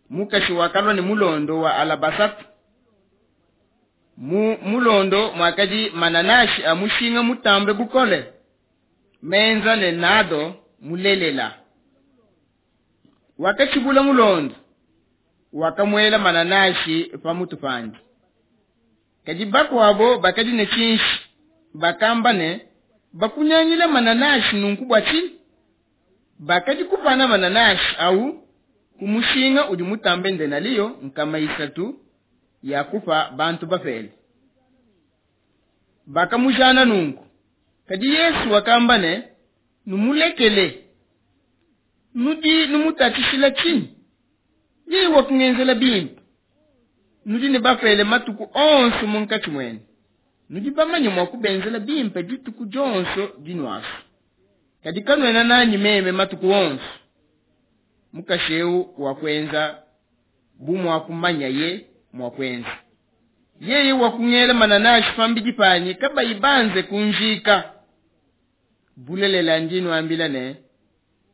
mukashi wakalua ne mulondo wa alabasata. Mu mulondo muakadi mananashi a mushinga mutambe bukole, menza ne nado mulelela. Wakatshibula mulondo, wakamuela mananashi pa mutu pandi. Kadi bakuabo bakadi ne tshinshi, bakamba ne, Bakunyangila mananashi nunku bua tshinyi? Bakadi kupana mananashi au ku mushinga udi mutambe ndenaliyo 300 ya kupa bantu bapele. Bakamujana nunku. Kadi Yesu wakamba ne, Numulekele, nudi numutatshishila tshinyi? Yeye wakungenzela bimpe. Nudi ne bapele matuku onso munkatshi muenu, nudi bamanye mua kubenzela bimpe dituku dionso dinuasua, kadi kanuena nanyi meme matuku onso. Mukashi eu wakuenza bu muakumanyaye mua kuenza. Yeye wakungela mananashi pambidi panyi kabayi banze kunjika. Bulelela ndi nuambila ne,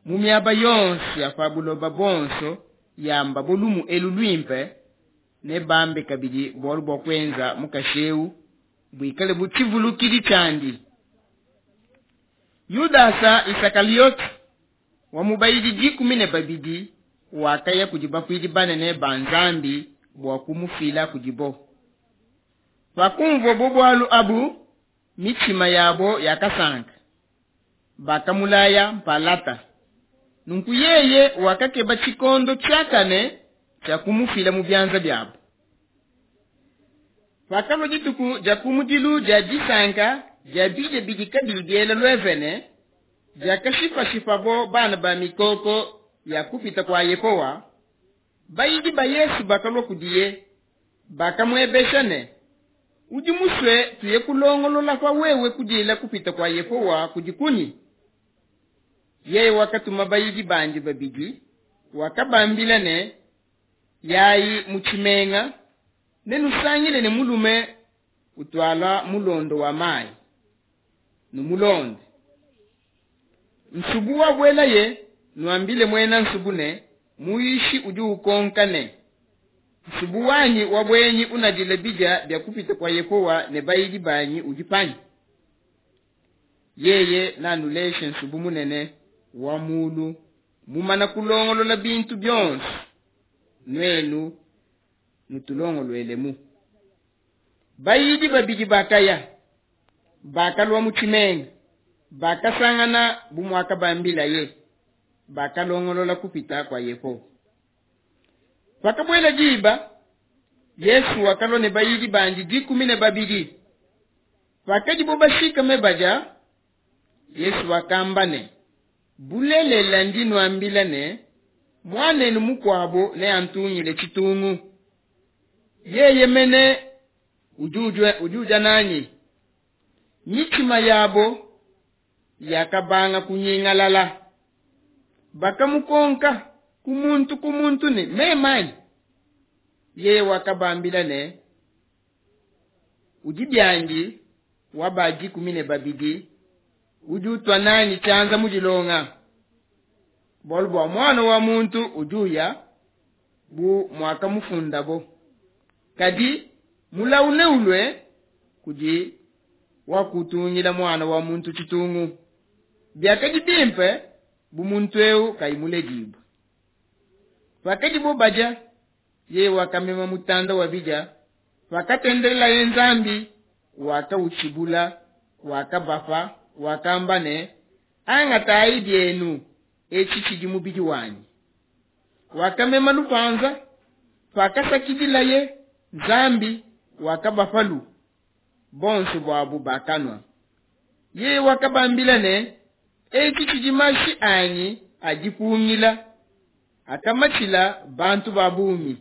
mu miaba yonso ya pa buloba buonso yambabo lumu elu luimpe, nebambe kabidi bualu bua kuenza mukashi eu buikale bu tshivulukidi tshiandi. Yudasa Isakaliote wa mu bayidi 12 wakaya kudi bakuidi banene ba Nzambi bua kumufila kudibo. Pakumvuabo bualu abu, mitshima yabo yakasanka, bakamulaya mpalata. Nunku yeye wakakeba tshikondo tshiakane tshia kumufila mu bianza biabo. Pakalua dituku dia kumudilu dia disanka dia bidia bidi kabiyi biela luevene, diakashipashipabo bana ba mikoko ya kupita kua Yehowa, bayidi ba Yesu bakalua kudiye, bakamuebesha ne, Udi musue tuye kulongolola pa wewe kudila kupita kua Yehowa kudi kunyi? Yeye wakatuma bayidi bandi babidi, wakabambila ne, Yayi mu tshimenga, nenusangile ne mulume utuala mulondo wa mayi, numulonde. Nsubu wabuelaye, nuambile muena nsubu ne, Muyishi udi ukonka ne, Nsubu wanyi wa buenyi unadila bidia bia kupita kua Yehowa ne bayidi banyi udi panyi? Yeye nanuleshe nsubu munene wa mulu mumana kulongolola bintu bionso, nuenu nutulongoluelemu. Bayidi babidi bakaya, bakalua mu tshimenga, bakasangana bu muakabambilaye, bakalongolola kupita kua Yehowa. Pakabuela diba, Yesu wakalua ne bayidi bandi 12. Pakadibo bashikame badia, Yesu wakamba ne, Bulelela ndi nuambila ne, muanenu mukuabo neantungile tshitungu. Yeye mene udi udia nanyi. Mitshima yabo yakabanga kunyingalala. Bakamukonka ku muntu ku muntu ne, Meme anyi? Yeye wakabambila ne, Udi biandi wa ba 12, udi utua nanyi tshianza mu dilonga. Bualu bua muana wa muntu udi uya bu muakamufundabo, kadi mulawu neulue kudi wakutungila muana wa muntu tshitungu. Biakadi bimpe bu muntu eu kayi muledibue. Pakadibo badia, yeye wakamema mutanda wa bidia, pakatendelelaye Nzambi, wakautshibula, wakabapa, wakamba ne, Angatayi bienu, etshi tshidi mubidi wanyi. Wakamema lupanza, pakasakidilaye Nzambi, wakabapalu, bonso buabu bakanua. Yeye wakabambila ne, Etshi tshidi mashi anyi a dipungila, akamatshila bantu ba bungi.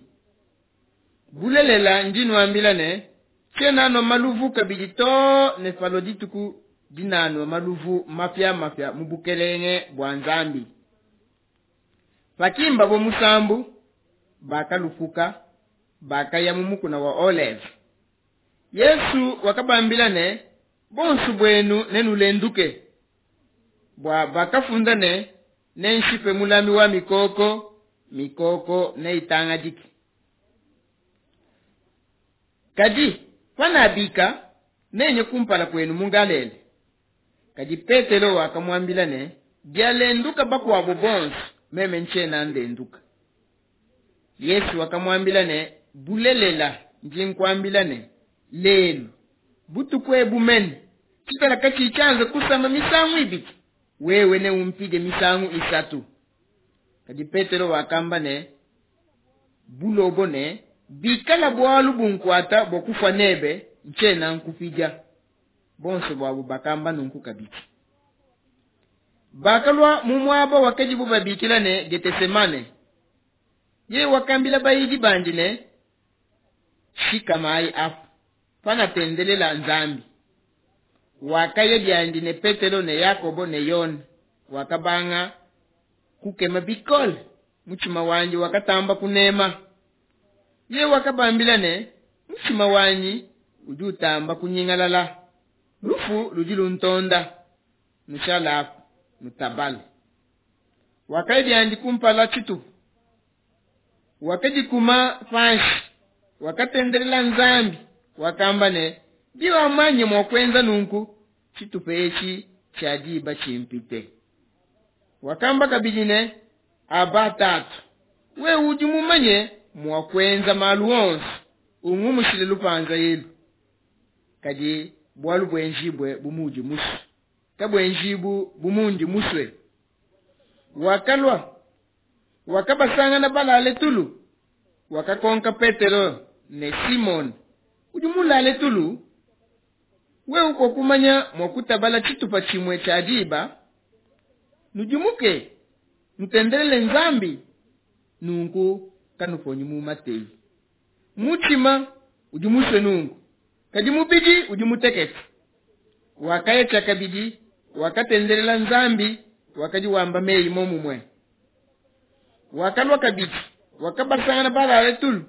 Bulelela ndi nuambila ne, tshiena nua maluvu kabidi too ne palua dituku dinanua maluvu mapiamapia mu bukelenge bua Nzambi. Pakimbabo musambu, bakalupuka, bakaya mu mukuna wa Oleve. Yesu wakabambila ne, Bonso buenu nenulenduke, bua bakafunda ne, Nenshipe mulami wa mikoko, mikoko neitangadike. Kadi panabika, nenye kumpala kuenu mu Galela. Kadi Petelo wakamuambila ne, Bialenduka bakuabo bonso, meme ntshiena ndenduka. Yesu wakamuambila ne, Bulelela ndi nkuambila ne, lelu, butuku ebu mene, tshitala katshiyi tshianze kusama misangu ibidi, wewe neumpidie misangu isatu. Kadi Petelo wakamba ne, Bulobo ne, bikala bualu bunkuata bua kufua nebe, ntshiena nkupidia. Bonso buabo bakamba nunku kabidi. Bakalua mu muaba wakadibo babikila ne Getesemane. Yeye wakambila bayidi bandi ne, Shikamayi apu, panatendelela Nzambi. Wakaya biandi ne Petelo ne Yakobo ne Yone, wakabanga kukema bikole, mutshima wandi wakatamba kunema. Yeye wakabambila ne, Mutshima wanyi udi utamba kunyingalala, lufu ludi luntonda, nushale apu, nutabale. Wakaya biandi kumpala tshitupa, wakadikuma panshi, wakatendelela Nzambi, wakamba ne, Biwamanye mua kuenza nunku, tshitupa etshi tshia diba tshimpite. Wakamba kabidi ne, Aba, Tatu, wewe udi mumanye mua kuenza malu onso, ungumushile lupanza elu. Kadi bualu buenjibue bu muudi musue, kabuenjibu bu mundi musue. Wakalua, wakabasangana balale tulu. Wakakonka Petelo ne, Simone, udi mulale tulu? Wewe kuakumanya mua kutabala tshitupa tshimue tshia diba? Nudimuke, nutendelele Nzambi, nunku kanuponyi mu mateyi. Mutshima udi musue nunku, kadi mubidi udi mutekete. Wakaya tshiakabidi, wakatendelela Nzambi, wakadi wamba meyi momumue. Wakalua kabidi, wakabasangana balale tulu,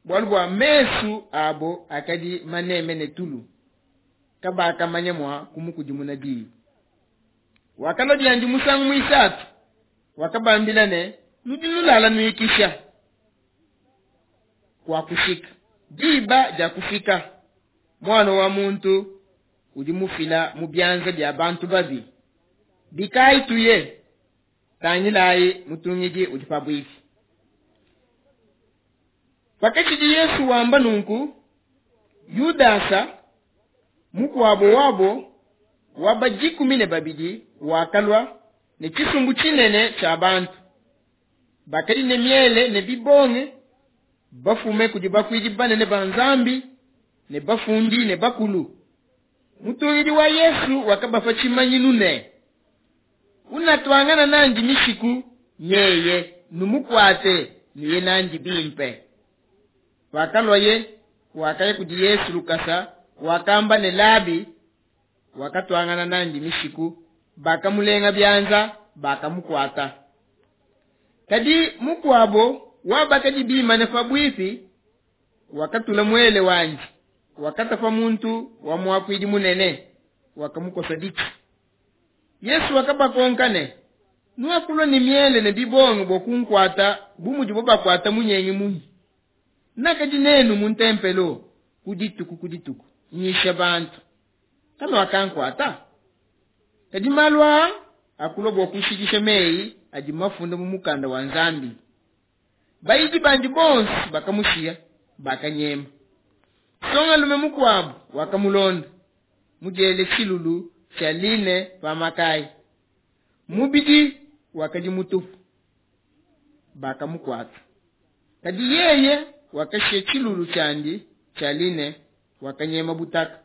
bualu bua mesu abo akadi maneme ne tulu, kabakamanya mua kumukudimuna diyi. Wakalua biandi musangu muisatu, wakabambila ne, Nudi nulala nuikisha, kuakushika diba dia kufika, Muana wa muntu udi mufila mu bianza bia bantu babi. Bikayi tuye, tangilayi mutungidi udi pabuipi. Pakatshidi Yesu wamba nunku, Yudasa, mukuabo wabo wa ba 12, wakalua ne tshisumbu tshinene tshia bantu bakadi ne miele ne bibonge, bafume kudi bakuidi banene ba Nzambi ne bafundi ne bakulu. Mutungidi wa Yesu wakabapa tshimanyinu ne, Unatuangana nandi mishiku nyeye, numukuate, nuye nandi bimpe. Pakaluaye, wakaya kudi Yesu lukasa, wakamba ne, Labi. Wakatuangana nandi mishiku, bakamulenga bianza, bakamukuata. Kadi mukuabo wa bakadi bimane pabuipi wakatula muele wandi, wakatapa muntu wa muakuidi munene, wakamukosa ditshi. Yesu wakabakonka ne, Nuakulua ne miele ne bibonge bua kunkuata bu mudibo bakuata munyengi munyi? Nakadi nenu mu ntempelo ku dituku ku dituku, nyisha bantu, kanuakankuata? Kadi malu aa akulua bua kushikisha meyi adi mafunda mu mukanda wa Nzambi. Bayidi bandi bonso bakamushiya, bakanyema. Nsongalume mukuabu wakamulonda, mudiele tshilulu tshia line pa makaya, mubidi wakadi mutupu. Bakamukuata. Kadi yeye wakashiya tshilulu tshiandi tshia line, wakanyema butaka.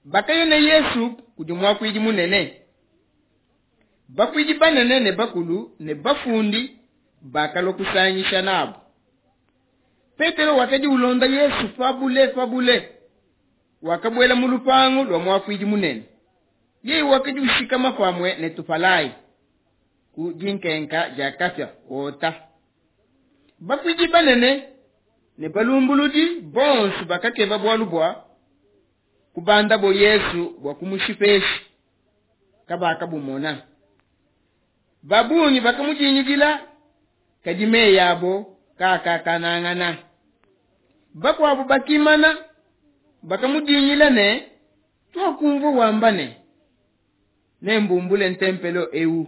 Bakaya ne Yesu kudi muakuidi munene. Bakuidi banene ne bakulu ne bafundi bakalua kusangisha nabo. Petelo wakadi ulonda Yesu pabule pabule, wakabuela mu lupangu lua muakuidi munene. Yeye wakadi ushikama pamue ne tupalayi ku dinkenka dia kapia wota. Bakuidi banene ne balumbuludi bonso bakakeba bualu bua kubandabo Yesu bua kumushipesha, kabakabumona. Babungi bakamudingidila, kadi meyi abo kaakakanangana. Bakuabo bakimana, bakamudingila ne, Tuakumvua wamba ne, Nembumbule ntempelo eu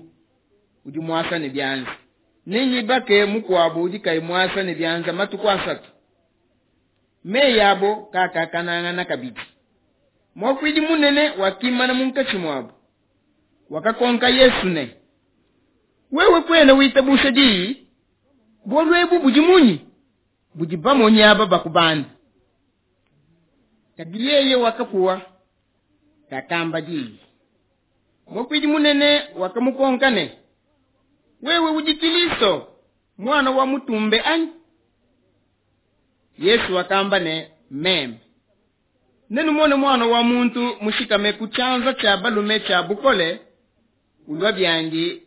udi muasa ne bianza, nengibake mukuabo udi kayi muasa ne bianza matuku asatu. Meyi abo kaakakanangana kabidi. Muakuidi munene wakimana munkatshi muabo, wakakonka Yesu ne, Wewe kuena witabusha diyi? Bualu ebu budi munyi budi bamonyi aba bakubanda? Kadi yeye wakapuwa, kakamba diyi. Muakuidi munene wakamukonka ne, Wewe udi Kilisto, muana wa mutumbe anyi? Yesu wakamba ne, Meme. Nenumone Muana wa muntu mushikame ku tshianza tshia balume tshia bukole, ulua biandi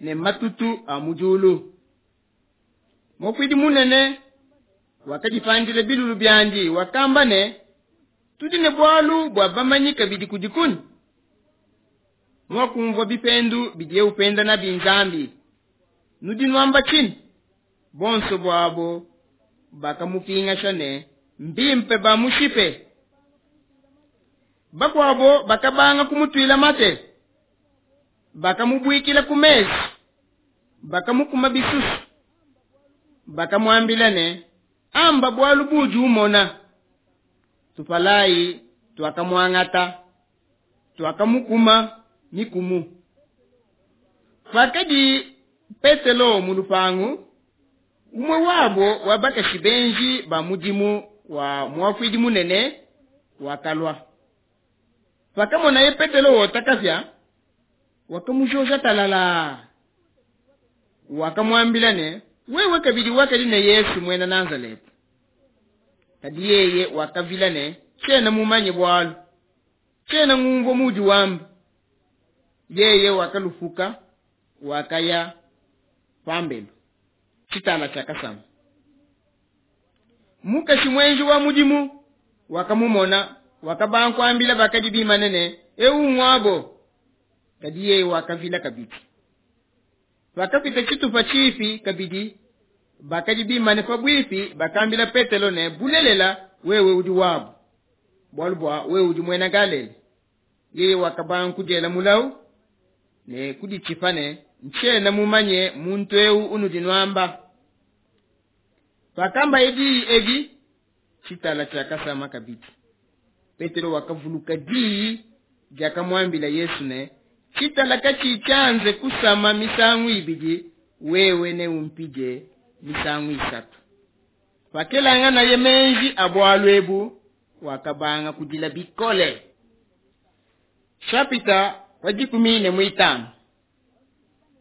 ne matutu a mu diulu. Muakuidi munene wakadipandila bilulu biandi, wakamba ne, Tudi ne bualu bua bamanyi kabidi kudi kunyi? Nuakumvua bipendu bidiye upenda nabi Nzambi. Nudi nuamba tshinyi? Bonso buabo bakamupingasha ne, Mbimpe bamushipe. Bakuabo bakabanga kumutuila mate, bakamubuikila ku mesu, bakamukuma bisusu, bakamuambila ne, Amba bualu buudi umona. Tupalayi tuakamuangata, tuakamukuma mikumu. Pakadi Petelo mu lupangu, umue wabo wa bakashi benji ba mudimu wa muakuidi munene wakalua. Pakamonaye Petelo wota kapia, wakamujoja talalaa. Wakamuambila ne, Wewe kabidi wakadi ne Yesu muena Nazaleta. Kadi yeye wakavila ne, Tshiena mumanye bualu, tshiena ngumvua muudi wamba. Yeye wakalupuka, wakaya pambelu. Tshitala tshiakasama. Mukashi muenji wa mudimu wakamumona, wakabanga kuambila bakadi bimane ne, Eu nguabo. Kadi yeye wakavila kabidi. Pakapita tshitupa tshipi kabidi, bakadi bimane pabuipi bakambila Petelo ne, Bulelela, wewe udi wabo, bualu bua wewe udi muena Galela. Yeye wakabanga kudiela mulawu ne kuditshipa ne, Ntshiena mumanye muntu eu unudi nuamba. Pakambaye diyi edi, tshitala tshiakasama kabidi. Petelo wakavuluka diyi diakamuambila Yesu ne, Tshitala katshiyi tshianze kusama misangu ibidi, wewe neumpidie misangu isatu. Pakelanganaye meji a bualu ebu, wakabanga kudila bikole. Shapita wa 15.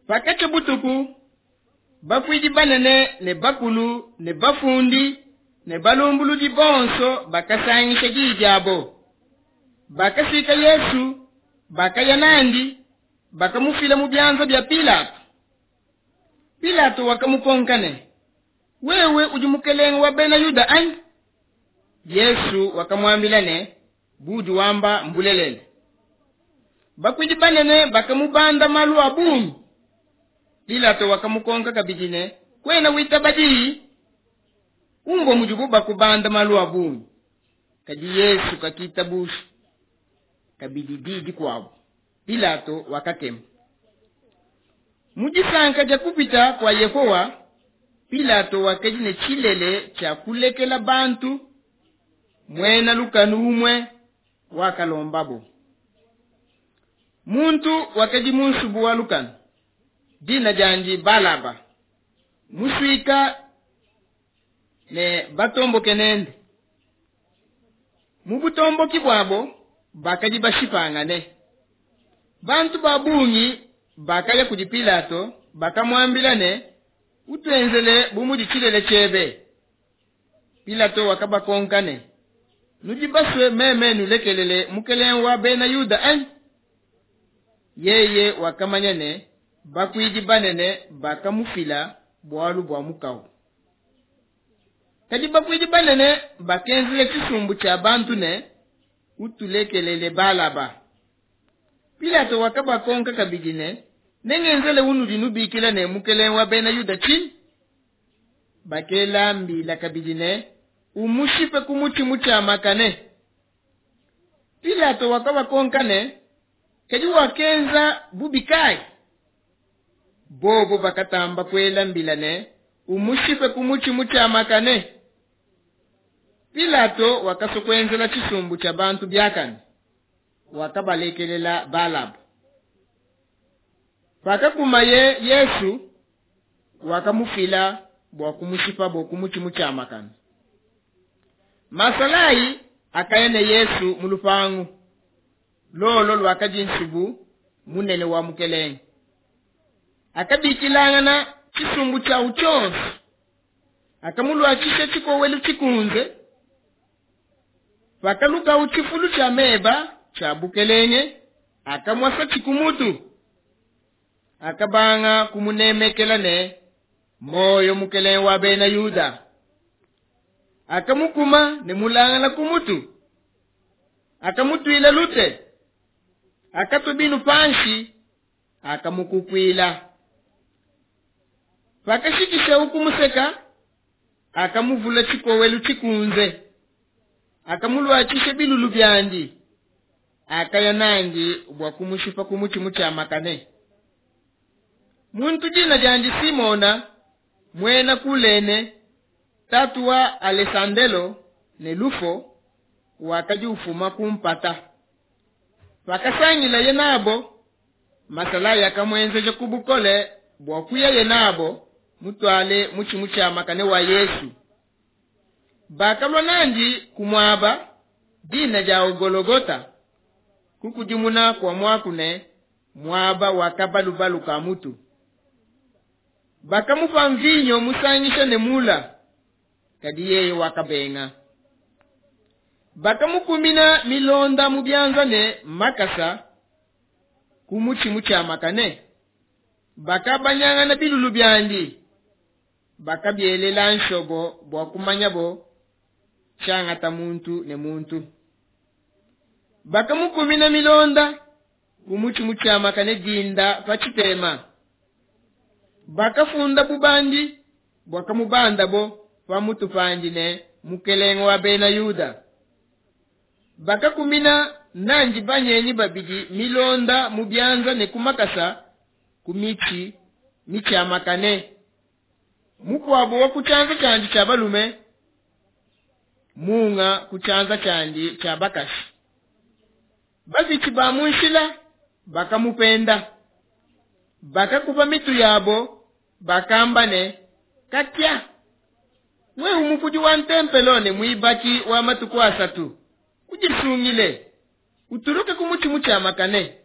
Pakatshia butuku, bakuidi banene ne bakulu ne bafundi ne balumbuludi bonso bakasangisha diyi diabo. Bakasuika Yesu, bakaya nandi, bakamufila mu bianza bia Pilato. Pilato wakamukonka ne, Wewe udi mukelenge wa Bena Yuda anyi? Yesu wakamuambila ne, Budi wamba mbulelela. Bakuidi banene bakamubanda malu a bungi. Pilato wakamukonka kabidi ne, Kuena witaba diyi? Umvua mudibo bakubanda malu a bungi. Kadi Yesu kakitabusha kabidi diyi dikuabo. Pilato wakakema. Mu disanka dia kupita kua Yehowa, Pilato wakadi ne tshilele tshia kulekela bantu muena lukanu umue wakalombabo. Muntu wakadi mu nsubu wa lukanu, dina diandi Balaba, musuika ne batomboke nende. Mu butomboki buabo bakadi bashipangane. Bantu ba bungi bakaya kudi Pilato, bakamuambila ne, Utuenzele bu mudi tshilele tshiebe. Pilato wakabakonka ne, Nudi basue meme nulekelele mukelenge wa Bena Yuda, anyi? Yeye wakamanya ne, Bakuidi banene bakamufila bualu bua mukawu. Kadi bakuidi banene bakenzela tshisumbu tshia bantu ne, Utulekelele Balaba. Pilato wakabakonka kabidi ne, Nengenzele unudi nubikila ne mukelenge wa Bena Yuda tshinyi? Bakela mbila kabidi ne, Umushipe ku mutshi mutshiamakane. Pilato wakabakonka ne, Kadi wakenza bubi kai? Bobo bakatamba kuela mbila ne, Umushipe ku mutshi mutshiamakane. Pilato wakasua kuenzela tshisumbu tshia bantu biakane, wakabalekelela Balaba. Pakakumaye Yesu, wakamufila bua kumushipabo ku mutshi mutshiamakane. Masalayi akaya ne Yesu mu lupangu lolo luakadi nsubu munene wa mukelenge. Akabikilangana tshisumbu tshiawu tshionso. Akamuluatshisha tshikowelu tshikunze. Pakalukawu tshifulu tshia meba tshia bukelenge, akamuasa kumutu. Akabanga kumunemekela ne moyo mukelenge wa bena Yuda. Akamukuma ne mulangala kumutu. Akamutuila lute. Akatua binu panshi, akamukukuila. Pakashikisha ukumuseka, akamuvula tshikowelu tshikunze. Akamuluatshisha bilulu biandi. Akaya nandi bua kumushipa ku mutshi mutshiamakane. Muntu dina diandi Simona, muena Kulene, tatu wa Alessandelo ne Lufo, wakadi ufuma ku mpata. Pakasangilaye nabo, masalayi akamuenzeja ku bukole bua kuyaye nabo mutuale mutshi mutshiamakane wa Yesu. Bakalua nandi ku muaba dina dia Gologota, kukudimuna kua muaku ne muaba wa kabalubalu ka mutu. Bakamupa mvinyo musangisha ne mula, kadi yeye wakabenga. Bakamukumina milonda mu bianza ne makasa ku mutshi mutshiamakane. Bakabanyangana bilulu biandi, bakabielela nshobo bua kumanyabo tshiangata muntu ne muntu. Bakamukumina milonda ku mutshi mutshiamakane dinda pa tshitema. Bakafunda bubandi buakamubandabo pa mutu pandi ne mukelenge wa bena Yuda. Bakakumina nandi banyenyi babidi milonda mu bianza ne ku makasa ku mitshi mitshiamakane. Mukuabo wa ku tshianza tshiandi tshia balume, munga ku tshianza tshiandi tshia bakashi. Bapitshi ba mu nshila bakamupenda. Bakakupa mitu yabo, bakamba ne katia, wewe mupudi wa ntempelo ne muibaki wa matuku asatu, ujisungile, utuluke ku mutshi mutshiamakane.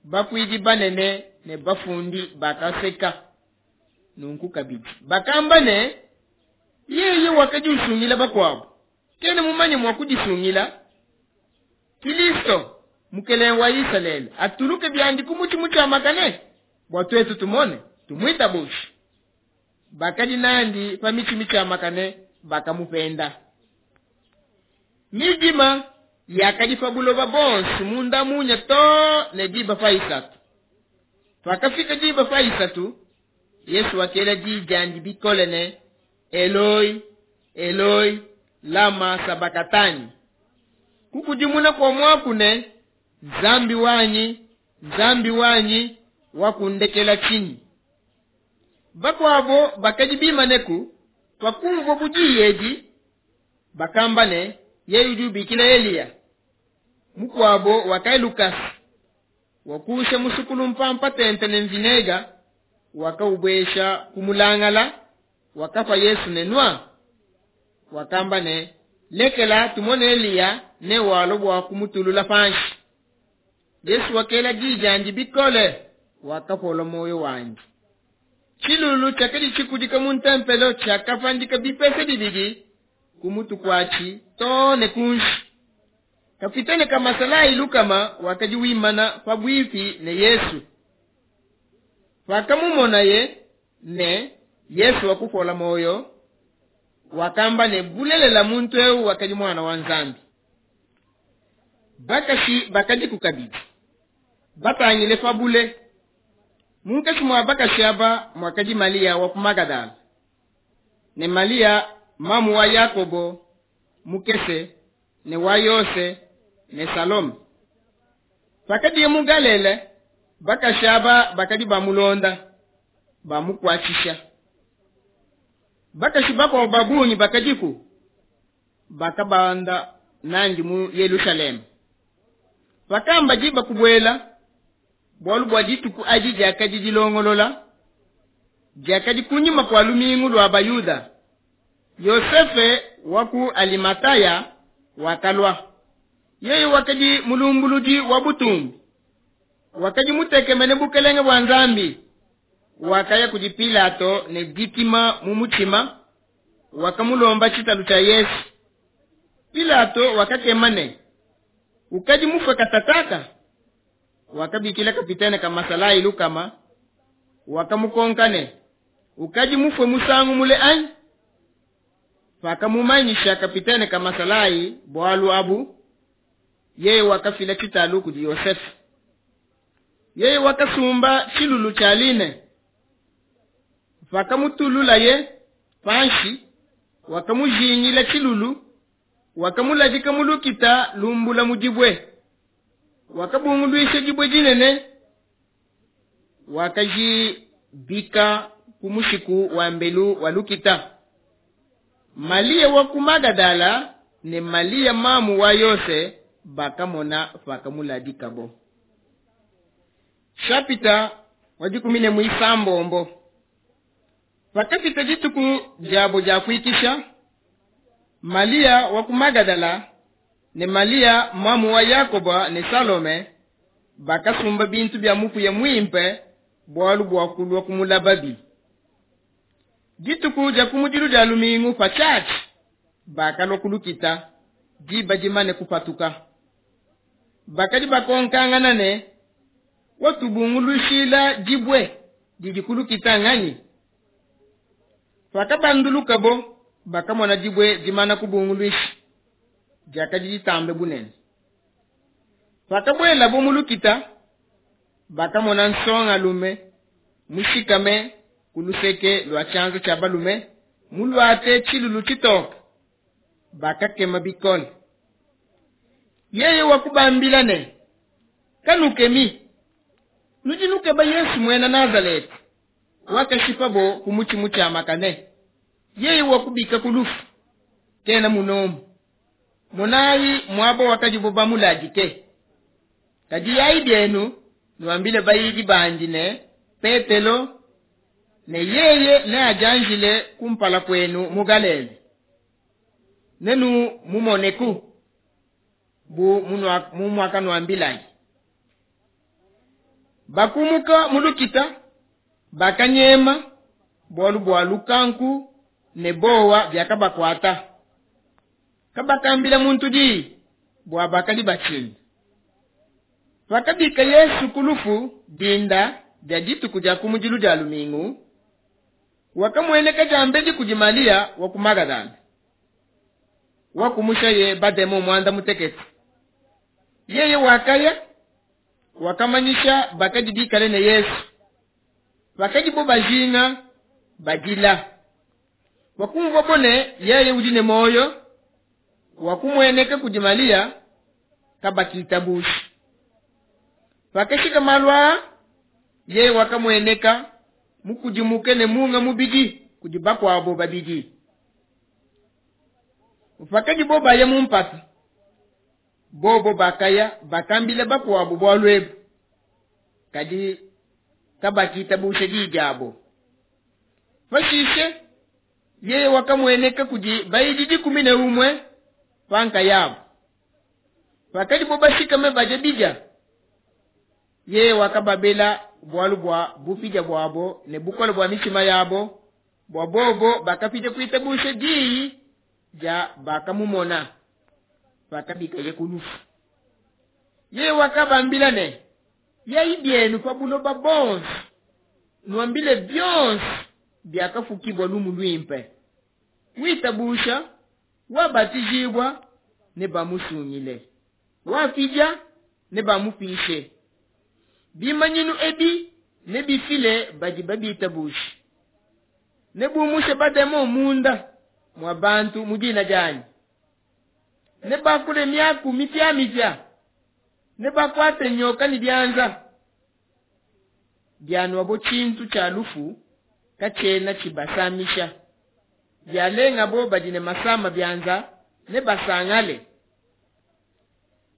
Bakuidi banene ne bafundi bakaseka nunku kabidi. Bakamba ne yeye wakadi usungila bakuabo, kena mumanye mua kudisungila. Kristo mukelenge wa Isalele atuluke biandi ku mutshi mutshiamakane bua tuetu tumone tumuitabushe. Bakadi nandi pa mitshi mitshiamakane bakamupenda. Midima yakadi pa buloba bonso munda munya to ne diba pa isatu. Pakafika diba pa isatu, Yesu wakela di diandi bikole ne Eloi, Eloi, lama sabakatani. Kukudimuna kwa muaku ne Nzambi wanyi, Nzambi wanyi, wakundekela tshinyi. Bakuabo bakadi bimaneku pakumvua budiyi edi, bakamba ne yeye udi ubikila Eliya. Mukuabo wakaya lukasa, wakusha musukulu mpampa tente ne mvinega, wakaubwesha kumulangala, wakapa Yesu ne nwa. Wakamba ne lekela tumone Eliya ne walo bua kumutulula panshi. Yesu wakela di diandi bikole, wakapola moyo wandi. Tshilulu tshiakadi tshikudika mu ntempelo tshiakapandika bipese bibidi ku mutu kuatshi too ne kunshi. Kapitene ka masalayi lukama wakadi wimana pabuipi ne Yesu. Pakamumonaye ne Yesu wakupola moyo, wakamba ne bulelela muntu eu wakadi mwana wa Nzambi. Bakashi bakadi ku kabidi batangile pabule. Munkatshi mua bakashi aba muakadi Malia wa ku Magadala ne Malia mamu wa Yakobo mukese ne wa Yose ne Salome. Pakadiye mu Galile, bakashi aba bakadi bamulonda bamukuatshisha. Bakashi bakuabo ba bungi bakadiku bakabanda nandi mu Yelushalema. Pakamba diba kubuela, bualu bua dituku adi diakadi dilongolola, diakadi kunyima kua lumingu lua Bayuda. Yosefe wa ku Alimataya wakalua. Yeye wakadi mulumbuludi wa butumbi, wakadi mutekemene bukelenge bua Nzambi. Wakaya kudi Pilato ne dikima mu mutshima. Wakamulomba tshitalu tshia Yesu. Pilato wakakema ne, ukadi mufue katataka? Wakabikila kapitene ka masalayi lukama, wakamukonka ne, ukadi mufue musangu mule anyi? Pakamumanyisha kapitene ka masalayi bualu abu, yeye wakafila tshitalu kudi Yosefe. Yeye wakasumba tshilulu tshia line. Pakamutululaye panshi, wakamujingila tshilulu, wakamuladika mu lukita lumbula mu dibue. Wakabunguluisha dibue dinene, wakajibika ku mushiku wa mbelu wa lukita. Malia wa ku Magadala ne Malia mamu wa Yose bakamona pakamuladikabo. Shapita wa dikumi ne muisambombo. Pakapita dituku diabo dia kuikisha, Malia wa ku Magadala ne Malia mamu wa Yakoba ne Salome bakasumba bintu bia mupuya muimpe bualu bua kulua kumulababi. Dituku dia kumudilu dia lumingu patshiatshi bakalua kulukita diba dimane kupatuka. Bakadi bakonkangana ne, watubungulushila dibue didi kulukita nganyi? Pakabandulukabo bakamona dibue dimana kubunguluisha, diakadi ditambe bunene. Pakabuelabo mu lukita, bakamona nsongalume mushikame ku luseke lua tshianza tshia balume, muluate tshilulu tshitoke. Bakakema bikole. Yeye wakubambila ne, kanukemi, nudi nukeba Yesu muena Nazaleta, wakashipabo ku mutshi mutshiamakane. Yeye wakubika ku lufu, kena munomu. Monayi muaba wakadibo bamuladike. Kadi yayi bienu nuambile bayidi bandi ne Petelo ne yeye neadianjile kumpala kuenu mu Galela. Nenu mumoneku bu mumuakanuambilayi. Bakumuka mu lukita, bakanyema bualu bua lukanku ne bowa biakabakuata. Kabakambila muntu diyi bua bakadi batshina. Pakabika Yesu ku lufu dinda dia dituku dia kumudilu dia lumingu, wakamueneka diambedi kudi Malia wa ku Magadala, wakumushaye bademo muanda mutekete. Yeye wakaya, wakamanyisha bakadi bikale ne Yesu. Bakadibo bajinga badila. Wakumvua bone yeye udi ne moyo, wakumueneka kudi Malia, kabakitabusha. Pakashika malu aa, yeye wakamueneka mukudimuke ne munga mubidi kudi bakuabo babidi. Pakadibo baya mu mpata, bobo bakaya bakambila bakuabo bualu ebu, kadi kabakitabusha diyi diabo. Pashishe yeye wakamueneka kudi bayidi 11 pankayabo. Pakadibo bashikame badia bidia, yeye wakababela bualu bua bupidia buabo ne bukole bua mitshima yabo, bua bobo bakapidia kuitabusha diyi dia bakamumona pakabikaye ku lufu. Yeye wakabambila ne, yayi bienu pa buloba bonso, nuambile bionso biakafukibwa lumu luimpe. Witabusha wabatijibwa ne bamusungile, wapidia ne bamupishe. Bimanyinu ebi ne bifile badi babitabusha. Ne bumushe bademo munda mwa bantu mu dina dianyi. Ne bakule miaku mipya mipya. Ne bakwate nyoka ni bianza. Bianwa bo tshintu tshia lufu katshiena tshibasamisha. Bialenga bo badi ne masama bianza ne basangale.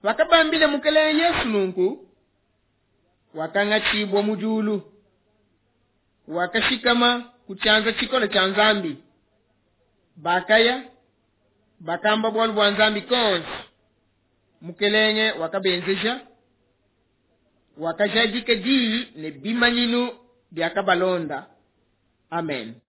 Pakabambile Mukelenge Yesu nunku, wakangatshibwa mu diulu, wakashikama ku tshianza tshikole tshia Nzambi. Bakaya bakamba bualu bua Nzambi konso. Mukelenge wakabenzeja, wakajadika diyi ne bimanyinu biakabalonda. Amen.